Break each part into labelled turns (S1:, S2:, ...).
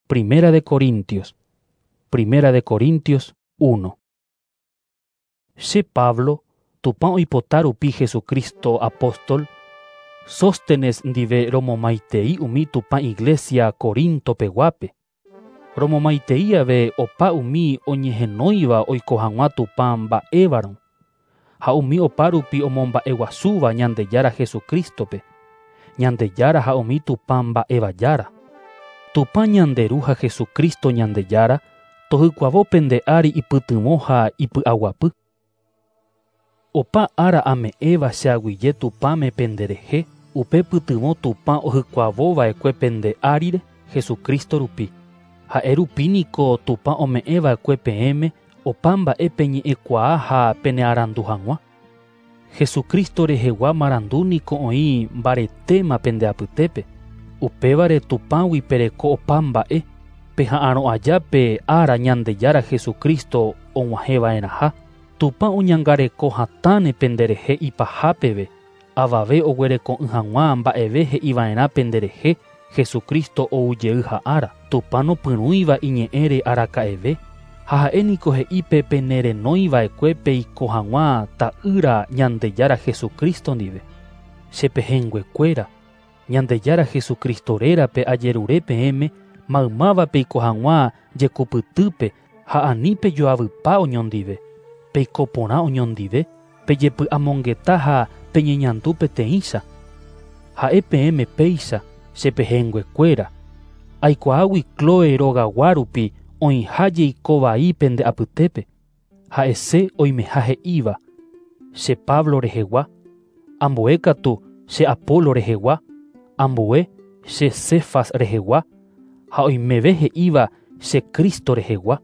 S1: Primera de Corintios. Primera de Corintios 1. Che Pablo, Tupã oipota rupi Jesucristo apóstol, Sóstenes ndive romomaitei umi Tupã iglesia Corinto peguápe. Romomaitei ave opa umi oñehenóiva oiko hag̃ua Tupã mba'évarõ ha umi opárupi omomba'eguasúva Ñandejára Jesucristo-pe, Ñandejára ha umi Tupã mba'éva Jára. Tupã ñande Ru ha Jesucristo Ñandejára tohykuavo pende ári ipytyvõ ha ipy'aguapy. Opa ára ame'ẽva che aguyje Tupãme penderehe, upe pytyvõ Tupã ohykuavova'ekue pende árire Jesucristo rupi. Ha'e rupi niko Tupã ome'ẽva'ekue peẽme opa mba'e peñe'ẽkuaa ha penearandu hag̃ua. Jesucristo rehegua marandu niko oĩ mbaretéma pende apytépe. Upévare Tupãgui pereko opa mba'e, peha'arõ aja pe ára Ñandejára Jesucristo og̃uahẽva'erãha. Tupã oñangareko hatãne penderehe ipaha peve, avave oguereko'ỹ hag̃ua mba'eve he'iva'erã penderehe Jesucristo oujey ha'ára. Tupã nopyrũiva iñe'ẽre araka'eve, ha ha'e niko he'i pe penerenóiva'ekue peiko hag̃ua ta'ýra Ñandejára Jesucristo ndive. Che pehẽnguekuéra, Ñandejára Jesucristo rérape ajerure peẽme maymáva peiko hag̃ua jekupytýpe ha ani pejoavypa oñondive. Peiko porã oñondive, pejepy'amongeta ha peñeñandu peteĩcha. Ha'e peẽme péicha, che pehẽnguekuéra. Aikuaágui Cloe rogagua rupi oĩha jeiko vai pende apytépe. Ha'ese oimeha he'íva, che Pablo rehegua, ambue katu che Apolo rehegua, ambue che Cefas rehegua, ha oimeve he'íva che Cristo rehegua.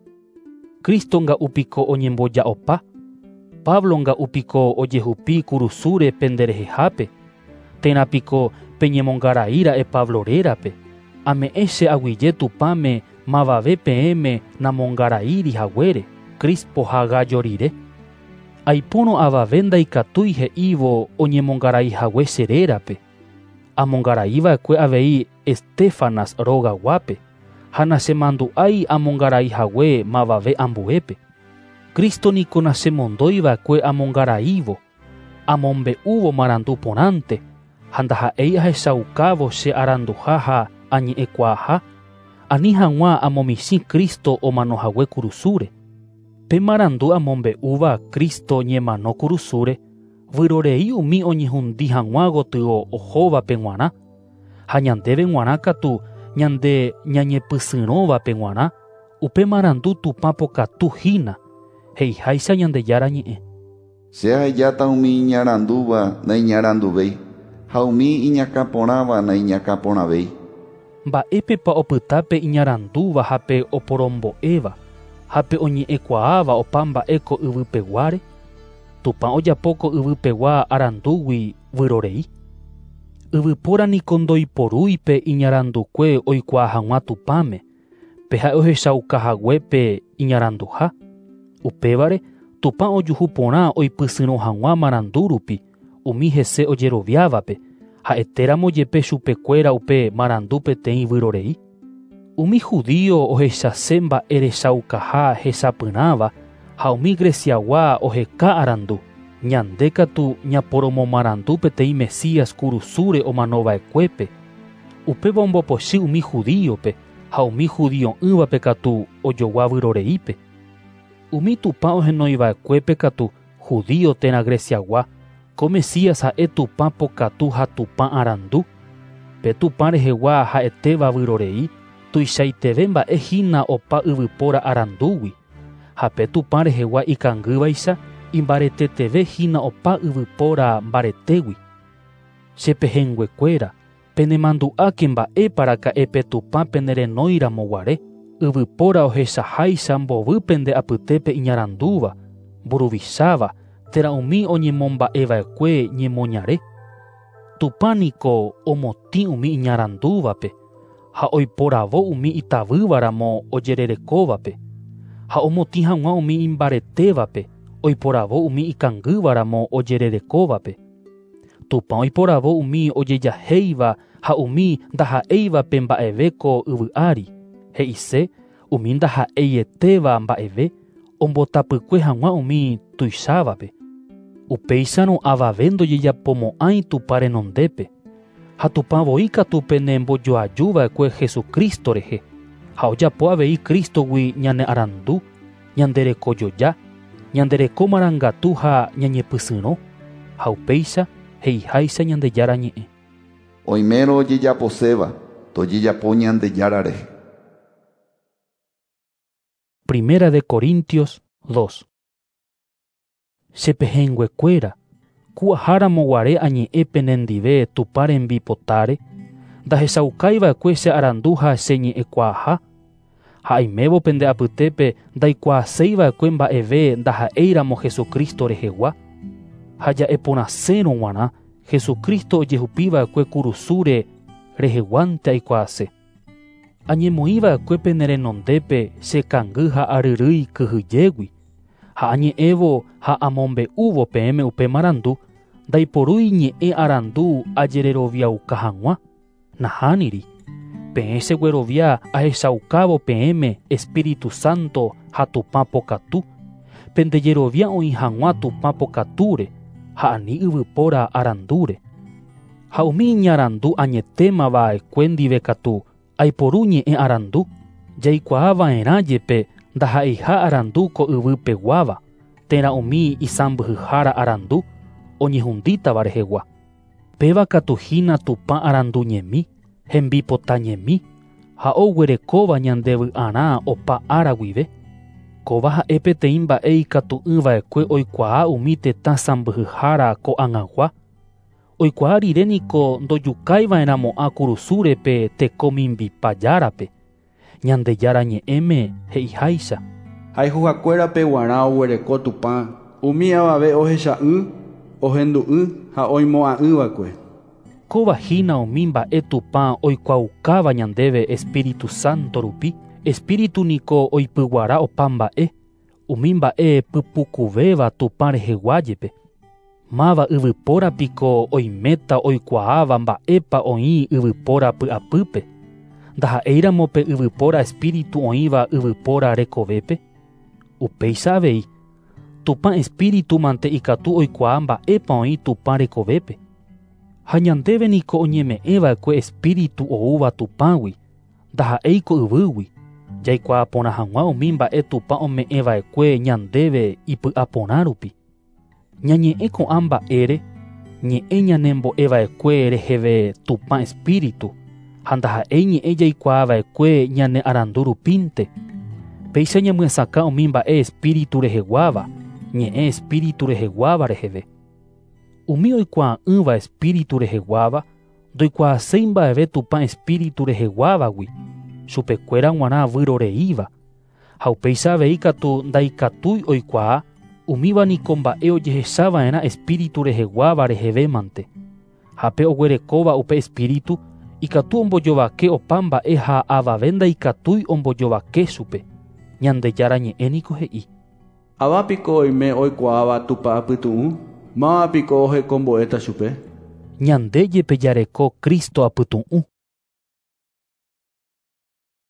S1: Cristo nga'u piko oñemboja'opa, Pablo nga'u piko ojehupi kurusúre penderehehápe, térã piko peñemongaraíra'e Pablo rérape. Ame'ẽ che aguyje Tupãme mavave peẽme namongaraíri haguére, Crispo ha Gayo rire. Aipórõ avave ndaikatúi he'ívo oñemongaraihague che rérape. Amongaraiva'ekue avei Estéfanas rogaguápe, ha nachemandu'ái amongaraihague mavave ambuépe. Cristo niko nachemondóiva'ekue amongaraívo, amombe'úvo marandu porãnte, ha ndaha'éi ahechaukávo che aranduha ha añe'ẽkuaaha, ani hag̃ua amomichĩ Cristo omanohague kurusúre. Pe marandu amombe'úva Cristo ñemano kurusúre, vyrorei umi oñehundi hag̃ua gotyo ohóvape g̃uarã, ha ñandéve g̃uarã katu ñande ñañepysyrõvape g̃uarã, upe marandu Tupã pokatu hína, he'iháicha Ñandejára ñe'ẽ.
S2: Che ahejáta umi iñarandúva naiñaranduvéi ha umi iñakãporãva naiñakãporãvéi.
S1: Mba'épepa opyta pe iñarandúva ha pe oporombo'éva, ha pe oñe'ẽkuaáva opa mba'e ko yvypeguáre? Tupã ojapo ko yvypegua arandúgui vyrorei. Yvypóra niko ndoiporúi pe iñarandukue oikuaa hag̃ua Tupãme, pe ha'e ohechaukahague pe iñaranduha. Upévare Tupã ojuhu porã oipysyrõ hag̃ua marandu rupi umi hese ojeroviávape, ha'etéramo jepe chupekuéra upe marandu peteĩ vyrorei. Umi judío ohechase mba'erechaukaha hechapyrãva ha umi Greciagua oheka arandu. Ñande katu ñaporomomarandu peteĩ Mesías kurusúre omanova'ekuépe. Upéva ombopochy umi judíope ha umi judio'ỹvape katu ojogua vyroreípe. Umi Tupã ohenoiva'ekuépe katu judío térã Greciagua, ko Mesías ha'e Tupã pokatu ha Tupã arandu. Pe Tupã rehegua ha'etéva vyrorei, tuichaiteve mba'e hína opa yvypóra arandúgui. Ha pe Tupã rehegua ikangývaicha imbareteteve hína opa yvypóra mbaretégui. Che pehẽnguekuéra, penemandu'áke mba'épa raka'e pe Tupã penerenóiramo guare, yvypóra ohechaháicha mbovy pende apytépe iñarandúva, mburuvicháva, térã umi oñemomba'eva'ekue ñemoñare. Tupã niko omotĩ umi iñarandúvape ha oiporavo umi itavývaramo ojererekóvape, ha omotĩ hag̃ua umi imbaretévape, oiporavo umi ikangývaramo ojererekóvape. Tupã oiporavo umi ojejahéiva ha umi ndaha'éivape mba'eve ko yvy ári. He'ise umi ndaha'eietéva mba'eve ombotapykue hag̃ua umi tuichávape. Upéicharõ avave ndojejapomo'ãi Tupã renondépe. Ha Tupã voi katu penembojoajuva'ekue Jesucristo rehe. Ha ojapo avei Cristogui ñane arandu, ñande rekojoja, ñande reko marangatu ha ñañepysyrõ. Ha upéicha he'iháicha Ñandejára ñe'ẽ.
S2: Oimérõ ojejaposéva, tojejapo Ñandejára rehe.
S1: Primera de Corintios 2. Chepehẽnguekuéra, ku aháramo guare añe'ẽ penendive Tupã rembipotáre, ndahechaukaiva'ekue che arandu ha che ñe'ẽkuaaha, ha aimévo pende apytépe ndaikuaaséiva'ekue mba'eve ndaha'éiramo Jesucristo rehegua. Ha ja'eporãsérõ g̃uarã Jesucristo ojehupiva'ekue kurusúre reheguánte aikuaase. Añemoĩva'ekue pene renondépe che kangy ha aryrýi kyhyjégui. Ha añe'ẽvo ha amombe'úvo peẽme upe marandu, ndaiporúi ñe'ẽ arandu ajereroviauka hag̃ua. Nahániri. Peẽ cheguerovia ahechaukávo peẽme Espíritu Santo ha Tupã pokatu. Pendejerovia oĩ hag̃ua Tupã pokatúre ha ani yvypóra arandúre. Ha umi iñarandu añetémava'ekue ndive katu aiporu ñe'ẽ arandu, jaikuaava'erã jepe ndaha'eiha arandu ko yvypeguáva, térã umi isãmbyhyhára arandu oñehundítava rehegua. Péva katu hína Tupã arandu ñemi, hembipota ñemi, ha oguerekóva ñandevy'arã opa ára guive. Kóva ha'e peteĩ mba'e ikatu'ỹva'ekue oikuaa umi tetã sãmbyhyhára ko'ag̃agua. Oikuaa rire niko ndojukaiva'erãmo'ã kurusúre pe teko mimbipa járape. Ñandejára ñe'ẽme he'iháicha.
S3: Hayhuhakuérape guarã oguereko Tupã, umi avave ohecha'ỹ, ohendu'ỹ ha oimo'ã'ỹva'ekue.
S1: Kóva hína umi mba'e Tupã oikuaaukáva ñandéve Espíritu Santo rupi. Espíritu niko oipyguara opa mba'e, umi mba'e pypukuvéva Tupã rehegua jepe. Máva yvypóra piko oiméta oikuaáva mba'épa oĩ yvypóra py'apýpe. Ndaha'éiramo pe yvypóra espíritu oĩva yvypóra rekovépe. Upéicha avei, Tupã espíritu mante ikatu oikuaa mba'épa oĩ Tupã rekovépe. Ha ñandéve niko oñeme'ẽva'ekue espíritu oúva Tupãgui, ndaha'éiko yvýgui. Jaikuaa porã hag̃ua umi mba'e Tupã ome'ẽva'ekue ñandéve ipy'aporã rupi. Ñañe'ẽ ko'ã mba'ére, ñe'ẽ ñanembo'eva'ekue reheve Tupã espíritu, ha ndaha'éi ñe'ẽ jaikuaava'ekue ñane arandu rupínte. Péicha ñamyesakã umi mba'e espíritu reheguáva, ñe'ẽ espíritu reheguáva reheve. Umi oikuaa'ỹva espíritu reheguáva, ndoikuaaséi mba'eve Tupã espíritu reheguávagui, chupekuéra g̃uarã vyroreíva. Ha upéicha avei katu ndaikatúi oikuaa, umíva niko mba'e ojehechava'erã espíritu reheguáva rehevémante. Ha pe oguerekóva upe espíritu, ikatu ombojovake opa mba'e ha avave ndaikatúi ombojovake chupe. Ñandejára ñe'ẽ niko he'i.
S3: Avapiko oime oikuaáva Tupã apytu'ũ, mávapiko ohekombo'éta chupe.
S1: Ñande jepe jareko Cristo apytu'ũ.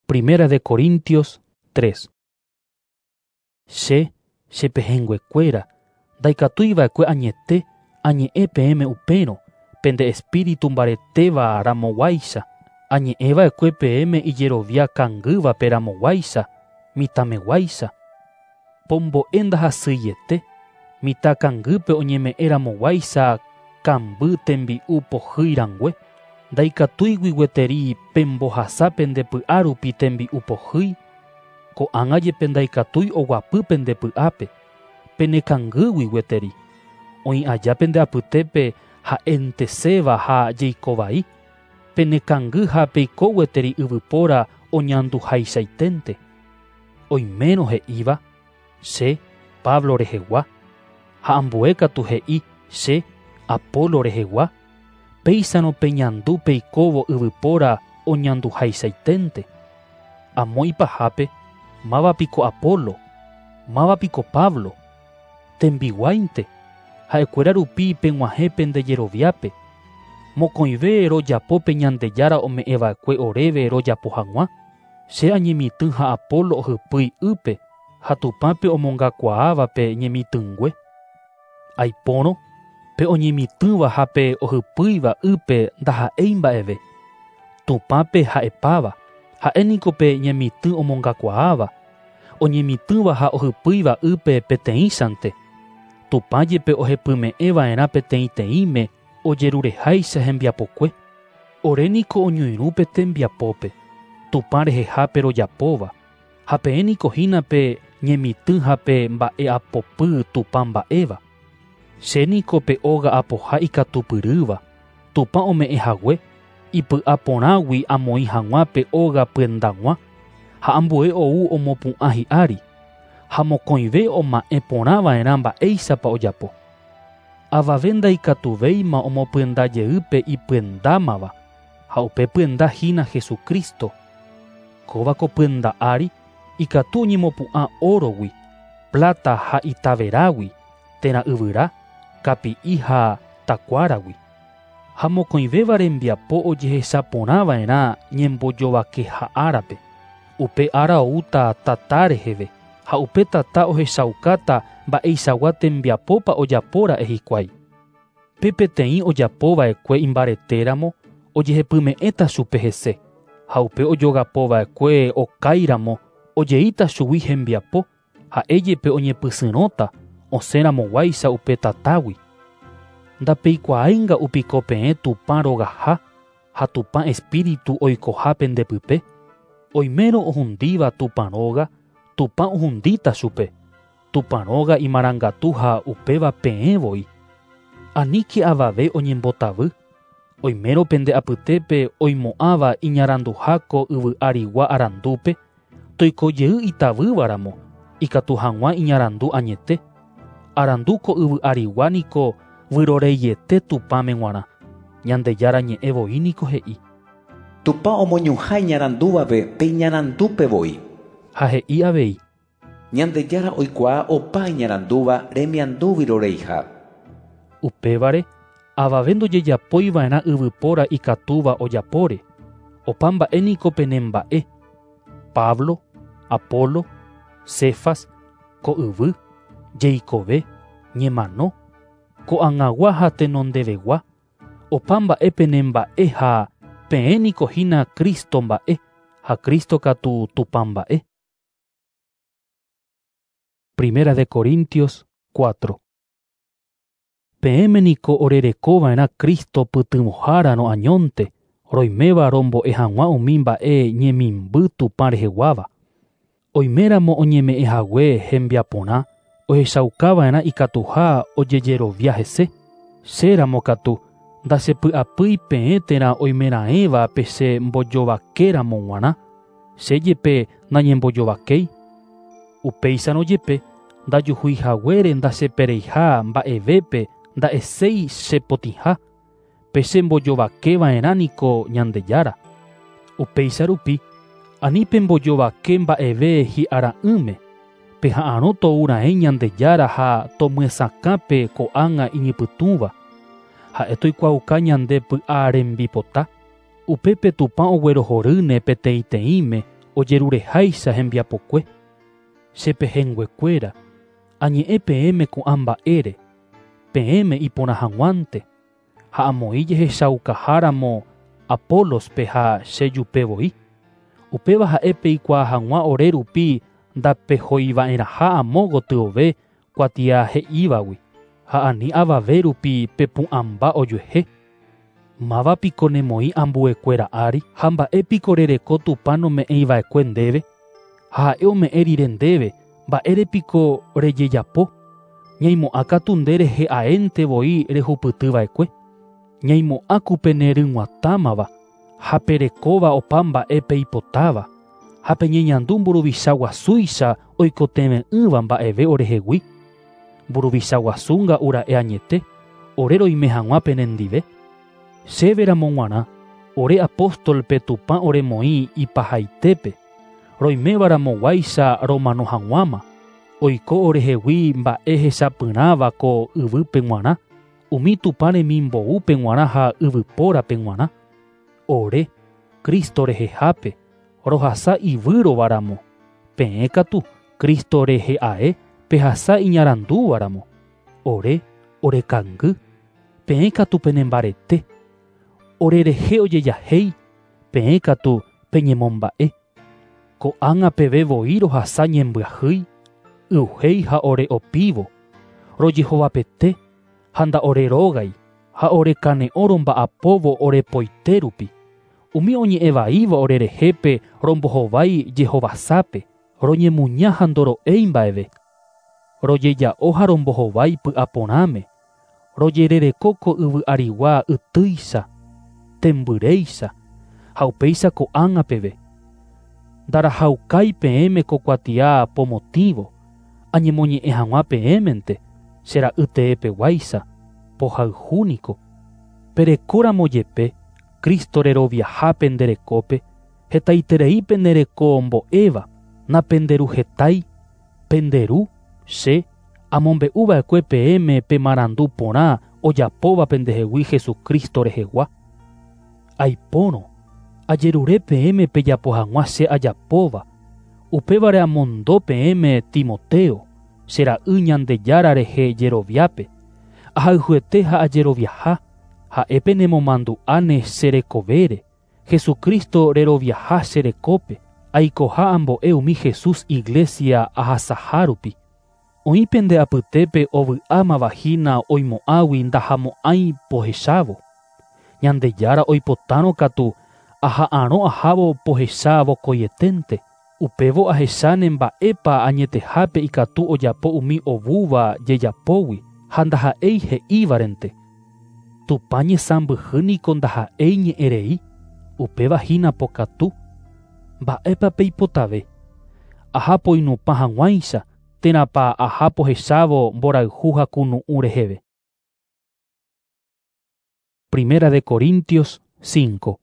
S1: Primera de Corintios 3. Che, chepehẽnguekuéra, ndaikatúiva'ekue añete, añe'ẽ peẽme upérõ, pende espíritu mbaretéva ramoguáicha, añe'ẽva'ekue peẽme ijerovia kangývape ramoguáicha, mitãmeguáicha. Pombo'e ndahasyiete, mitã kangýpe oñeme'ẽ ramoguáicha kamby tembi'u pohýi rangue, ndaikatúigui gueteri pembohasa pende py'a rupi tembi'u pohýi, ko'ág̃a jepe ndaikatúi oguapy pende py'ápe, penekangýgui gueteri. Oĩ aja pende apytépe ha'enteséva ha jeikovai, penekangy ha peiko gueteri yvypóra oñanduhaichaiténte. Oimérõ he'íva, che, Pablo rehegua, ha ambue katu he'i, che, Apolo rehegua, péicharõ peñandu peikóvo yvypóra oñanduhaichaiténte. Amo ipahápe, mávapiko Apolo, mávapiko Pablo, tembiguáinte, ha'ekuéra rupi peg̃uahẽ pendejeroviápe. Mokõive rojapo pe Ñandejára ome'ẽva'ekue oréve rojapo hag̃ua. Che añemitỹ ha Apolo ohypýi ýpe ha Tupã pe omongakuaáva pe ñemitỹngue. Aipórõ, pe oñemitỹva ha pe ohypýiva ýpe ndaha'éi mba'eve. Tupã pe ha'epáva, ha'e niko pe ñemitỹ omongakuaáva, oñemitỹva ha ohypýiva ýpe peteĩchante. Tupã jepe ohepyme'ẽva'erã peteĩteĩme ojerureháicha hembiapokue. Ore niko oñoirũ pe tembiapópe, Tupã rehehápe rojapóva, ha peẽ niko hína pe ñemitỹ ha pe mba'e'apopy Tupã mba'éva. Che niko pe óga apoha ikatupyrýva, Tupã ome'ẽhague, ipy'aporãgui amoĩ hag̃ua pe óga pyendag̃ua, ha ambue ou omopu'ã hi'ári, ha mokõive oma'ẽ porãva'erã mba'éichapa ojapo. Avave ndaikatuvéima omopyenda jey pe ipyendámava, ha upe pyenda hína Jesucristo. Kóva ko pyenda ári ikatu oñemopu'ã órogui, plata ha itaverágui, térã yvyra, kapi'i ha takuáragui. Ha mokõivéva rembiapo ojehechaporãva'erã ñembojovakeha árape. Upe ára oúta tata reheve, ha upe tata ohechaukáta mba'eichagua tembiapópa ojapóra'e hikuái. Pe peteĩ ojapova'ekue imbaretéramo ojehepyme'ẽta chupe hese, ha upe ojogapova'ekue okáiramo ojeíta chugui hembiapo, ha'e jepe oñepysyrõta osẽramoguáicha upe tatágui. Ndapeikuaáinga'u piko peẽ Tupã rogaha ha Tupã espíritu oikoha pendepype. Oimérõ ohundíva Tupã róga, Tupã ohundíta chupe. Tupã róga imarangatu ha upéva peẽ voi. Aníke avave oñembotavy. Oimérõ pende apytépe oimo'ãva iñaranduha ko yvy arigua arandúpe, toiko jey itavývaramo, ikatu hag̃ua iñarandu añete. Arandu ko yvy arigua niko vyroreiete Tupãme g̃uarã. Ñandejára ñe'ẽ voi niko he'i.
S4: Tupã omoñuhã iñarandúvape pe iñarandúpe voi.
S1: Ha he'i avei.
S4: Ñandejára oikuaa opa iñarandúva remiandu vyroreiha.
S1: Upévare, avave ndojejapoiva'erã yvypóra ikatúva ojapóre. Opa mba'e niko penemba'e. Pablo, Apolo, Cefas, ko yvy, jeikove, ñemano, ko'ag̃agua ha tenondevegua, opa mba'e penemba'e ha peẽ niko hína Cristo mba'e, ha Cristo katu Tupã mba'e. Primera de Corintios 4. Peẽme niko orerekova'erã Cristo pytyvõhárarõ añónte, roiméva rombo'e hag̃ua umi mba'e ñemimby Tupã reheguáva. Oiméramo oñeme'ẽhague hembiaporã, ohechaukava'erã ikatuha ojejerovia hese. Chéramo katu, ndachepy'apýi peẽ térã oimeraẽva pe che mbojovakéramo g̃uarã, che jepe nañembojovakéi. Upéicharõ jepe, ndajuhuihaguére ndachepereiha mba'evépe nda'eséi chepotĩha, pe che mbojovakeva'erã niko Ñandejára. Upéicha rupi, ani pembojovake mba'eve hi'ara'ỹme, peha'arõ toura'ẽ Ñandejára ha tomyesakãpe ko'ág̃a iñypytũva. Ha'e toikuaauka ñande py'a rembipota, upépe Tupã oguerohorýne peteĩteĩme ojerureháicha hembiapokue. Che pehẽnguekuéra, añe'ẽ peẽme ko'ã mba'ére, peẽme iporã hag̃uánte, ha amoĩ jehechaukaháramo Apolospe ha che jupe voi. Upéva ha'e peikuaa hag̃ua ore rupi ndapehoiva'erãha amo gotyove kuatia he'ívagui, ha ani avave rupi pepu'ãmba ojuehe. Máva piko nemoĩ ambuekuéra ári ha mba'e piko rereko Tupã nome'ẽiva'ekue ndéve, ha ha'e ome'ẽ rire ndéve mba'ére piko rejejapo, ñaimo'ã katu nde rehe aénte voi rehupytyva'ekue. Ñaimo'ã ku peneryg̃uatãmava ha perekóva opa mba'e peipotáva, ha peñeñandu mburuvicha guasúicha oikotevẽ'ỹva mba'eve orehegui. Mburuvicha guasu nga'ura'e añete, ore roime hag̃ua penendive. Chéveramo g̃uarã, ore apóstolpe Tupã oremoĩ ipahaitépe, roimévaramoguáicha romano hag̃uáma, oiko orehegui mba'e hechapyrãva ko yvýpe g̃uarã, umi Tupã remimboúpe g̃uarã ha yvypórape g̃uarã. Ore, Cristo rehehápe, Rohasa ivýrova ramo, peẽ katu Cristo rehe ae pehasa iñarandúva ramo. Ore orekangy, peẽ katu penembarete. Ore rehe ojejahéi, peẽ katu peñemomba'e. Ko'ág̃a peve voi rohasa ñembyahýi, y'uhéi ha ore opívo, rojehovapete ha nda'orerógai ha orekane'õ romba'apóvo orepoite rupi. Umi oñe'ẽvaíva orerehépe rombohovái jehovasápe, roñemuña ha ndoro'éi mba'eve. Rojeja'o ha rombohovái py'aporãme, rojerereko ko yvy arigua ytýicha, tembyréicha ha upéicha ko'ág̃a peve. Ndarahaukái peẽme ko kuatia pomotĩvo, añemoñe'ẽ hag̃ua peẽmente, che ra'y teepeguáicha, pohayhúniko. Perekóramo jepe, Cristo reroviaha pende rekópe, hetaiterei pende reko mbo'éva, napenderuhetái, penderu, che, amombe'uva'ekue peẽme pe marandu porã ojapóva pendehegui Jesucristo rehegua. Aipórõ, ajerure peẽme pejapo hag̃ua che ajapóva, upévare amondo peẽme Timoteo, che ra'y Ñandejára rehe jeroviápe, ahayhuete ha ajeroviaha, ha'e penemomandu'áne che rekovére, Jesucristo reroviaha che rekópe, aikoha ambo'e umi Jesús iglesia ahasaha rupi. Oĩ pende apytépe ovy'ámava hína oimo'ãgui ndahamo'ãi pohechávo. Ñandejára oipotárõ katu aha'arõ ahávo pohecha vokoieténte. Upévo ahecháne mba'épa añetehápe ikatu ojapo umi ovúva jejapógui ha ndaha'éi he'ívarente. Tupã ñesãmbyhy niko ndaha'éi ñe'ẽrei, upéva hína pokatu. Mba'épa peipotave? Aha poinupã hag̃uáicha térãpa aha pohechávo mborayhu ha kunu'ũ reheve. Primera de Corintios 5.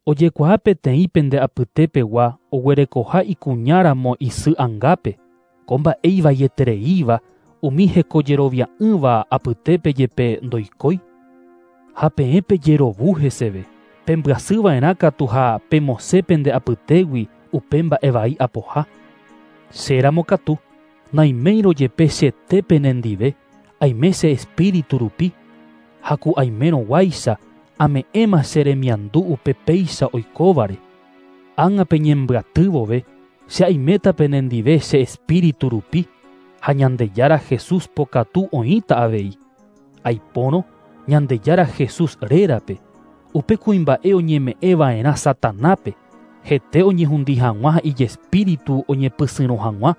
S1: Ojekuaa peteĩ pende apytépegua oguerekoha ikuñáramo isy angápe, ko mba'e ivaietereíva umi hekojerovia'ỹva apytépe jepe ndoikói. Ha peẽ pejerovu heseve, pembyasyva'erã katu ha pemosẽ pende apytégui upe mba'e vai apoha. Chéramo katu, naiméirõ jepe chete penendive, aime che espíritu rupi, ha ku aimérõguáicha ame'ẽma che remiandu upe péicha oikóvare. Ág̃a peñembyaty vove, che aiméta penendive che espíritu rupi, ha Ñandejára Jesús pokatu oĩta avei. Aipórõ Ñandejára Jesús rérape, upe kuimba'e oñeme'ẽva'erã Satanápe, hete oñehundi hag̃ua ha ijespíritu oñepysyrõ hag̃ua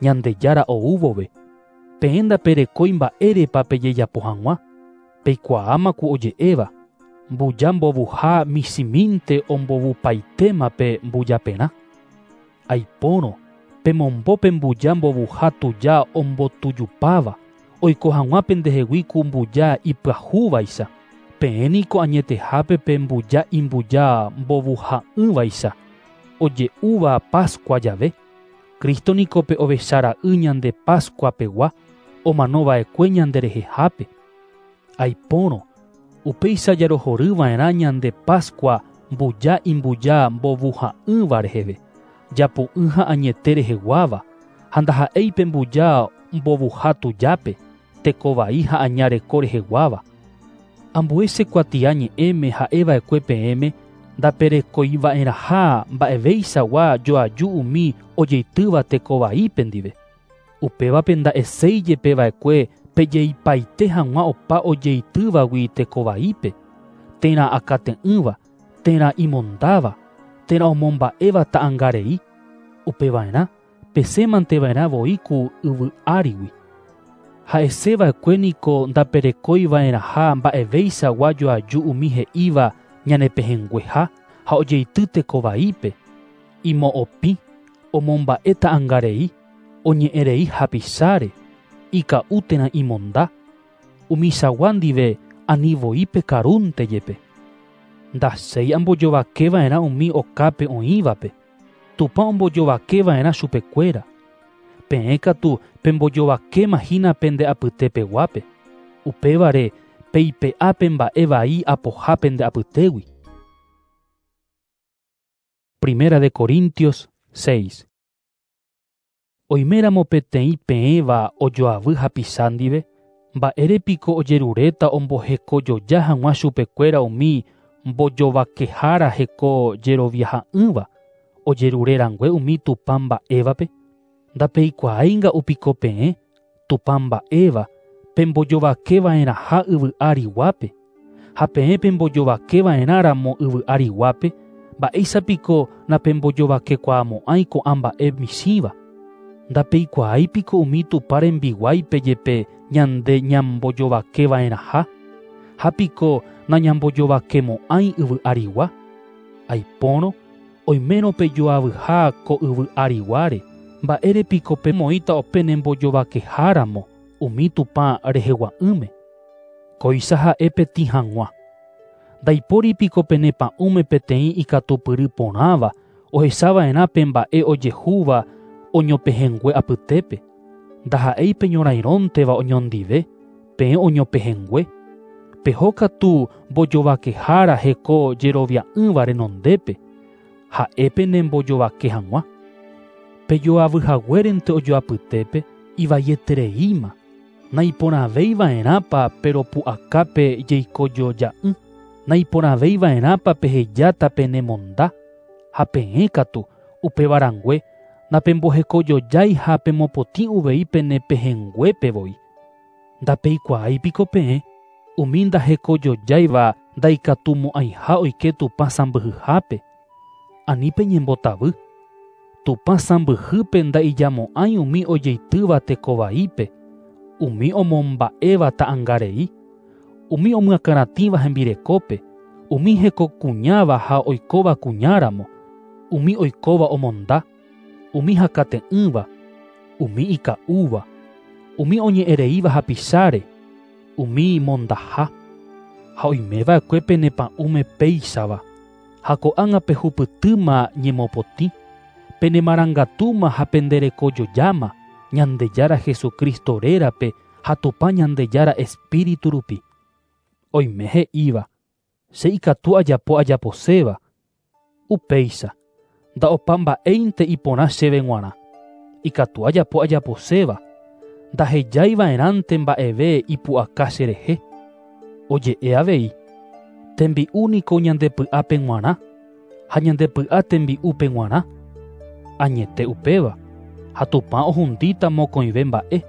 S1: Ñandejára ou vove. Peẽ ndaperekói mba'érepa pejejapo hag̃ua, peikuaáma ku oje'éva, mbuja mbovuha michĩmínte ombovupaitéma pe mbujaperã. Aipórõ, pemombo pe mbuja mbovuha tuja ombotujupáva, oiko hag̃ua pendehegui ku mbuja ipyahúvaicha. Peẽ niko añetehápe pe mbuja imbuja mbovuha'ỹvaicha, oje'úva Pascua jave. Cristo niko pe ovechara'y ñande Pascua pegua, omanova'ekue ñanderehehápe. Aipórõ, upéicha jarohoryva'erã ñande Pascua mbuja imbuja mbovuha'ỹva reheve, japu'ỹ ha añete reheguáva, ha ndaha'éi pe mbuja mbovuha tujápe, tekovai ha aña reko reheguáva. Ambue che kuatia ñe'ẽme ha'eva'ekue peẽme ndaperekoiva'erãha mba'evéichagua joaju umi ojeitýva tekovaípe ndive. Upévape nda'eséi jepeva'ekue pejeipaite hag̃ua opa ojeitývagui tekovaípe, térã akate'ỹva, térã imondáva, térã omomba'éva ta'ãngarei. Upeva'erã pesẽmanteva'erã voi ku yvy árigui. Ha'eseva'ekue niko ndaperekoiva'erãha mba'evéichagua joaju umi he'íva ñanepehẽngueha ha ojeity tekovaípe, imo'opĩ, omomba'e ta'ãngarei, oñe'ẽrei hapicháre, ika'u térã imonda, umichagua ndive ani voi pekarúnte jepe. Ndachéi ambojovakeva'erã umi okápe oĩvape, Tupã ombojovakeva'erã chupekuéra. Peẽ katu pembojovakéma hína pende apytepeguápe. Upévare peipe'a pe mba'e vai apoha pende apytégui. Primera de Corintios 6. Oiméramo peteĩ peẽva ojoavy hapicha ndive, mba'érepiko ojeruréta ombohekojoja hag̃ua chupekuéra umi mbojovakehára heko jeroviaha'ỹva, ojerurerangue umi Tupã mba'évape? Ndapeikuaáinga'u piko peẽ, Tupã mba'éva, pembojovakeva'erãha yvy ariguápe, ha peẽ pembojovakeva'erãramo yvy ariguápe, mba'éichapiko napembojovakekuaamo'ãi ko'ã mba'e michĩva. Ndapeikuaáipiko umi Tupã rembiguáipe jepe ñande ñambojovakeva'erãha, ha piko nañambojovakemo'ãi yvy arigua. Aipórõ oimérõ pejoavyha ko yvy ariguáre, mba'érepiko pemoĩta openembojovakeharamo umi Tupã rehegua'ỹme. Kóicha ha'e petĩ hag̃ua. Ndaipóripiko pene pa'ũme peteĩ ikatupyry porãva ohechava'erã pe mba'e ojehúva oñopehẽngue apytépe. Ndaha'éi peñorairõnteva oñondive, peẽ oñopehẽngue. Peho katu mbojovakehára heko jerovia'ỹva renondépe, ha'e penembojovake hag̃ua. Pejoavyhaguérente ojoapytépe ivaietereíma. Naiporãveiva'erãpa peropu'akápe jeikojoja'ỹ. Naiporãveiva'erãpa pehejáta penemonda. Ha peẽ katu upevarãngue napembohekojojái ha pemopotĩ uvei pene pehẽnguépe voi. Ndapeikuaáipiko peẽ umi ndahekojojáiva ndaikatumo'ãiha oike Tupã sãmbyhyhápe. Ani peñembotavy. Tupã sãmbyhýpe nda'ijamo'ãi umi ojeitýva tekovaípe, umi omomba'éva ta'ãngarei, umi omyakãratĩva hembirekópe, umi hekokuñáva ha oikóva kuñáramo, umi oikóva omonda, umi hakate'ỹva, umi ika'úva, umi oñe'ẽreíva hapicháre, umi mondaha. Ha oimeva'ekue pene pa'ũme péichava, ha ko'ág̃a pehupytýma ñemopotĩ, penemarangatúma ha penderekojojáma Ñandejára Jesucristo rérape ha Tupã Ñandejára Espíritu rupi. Oime he'íva, che ikatu ajapo ajaposéva. Upéicha, nda'opa mba'éinte iporã chéve g̃uarã. Ikatu ajapo ajaposéva, ndahejaiva'erãnte mba'eve ipu'aka cherehe. Oje'e avei, tembi'u niko ñandepy'ápe g̃uarã, ha ñandepy'a tembi'úpe g̃uarã. Añete upéva, ha Tupã ohundíta mokõive mba'e.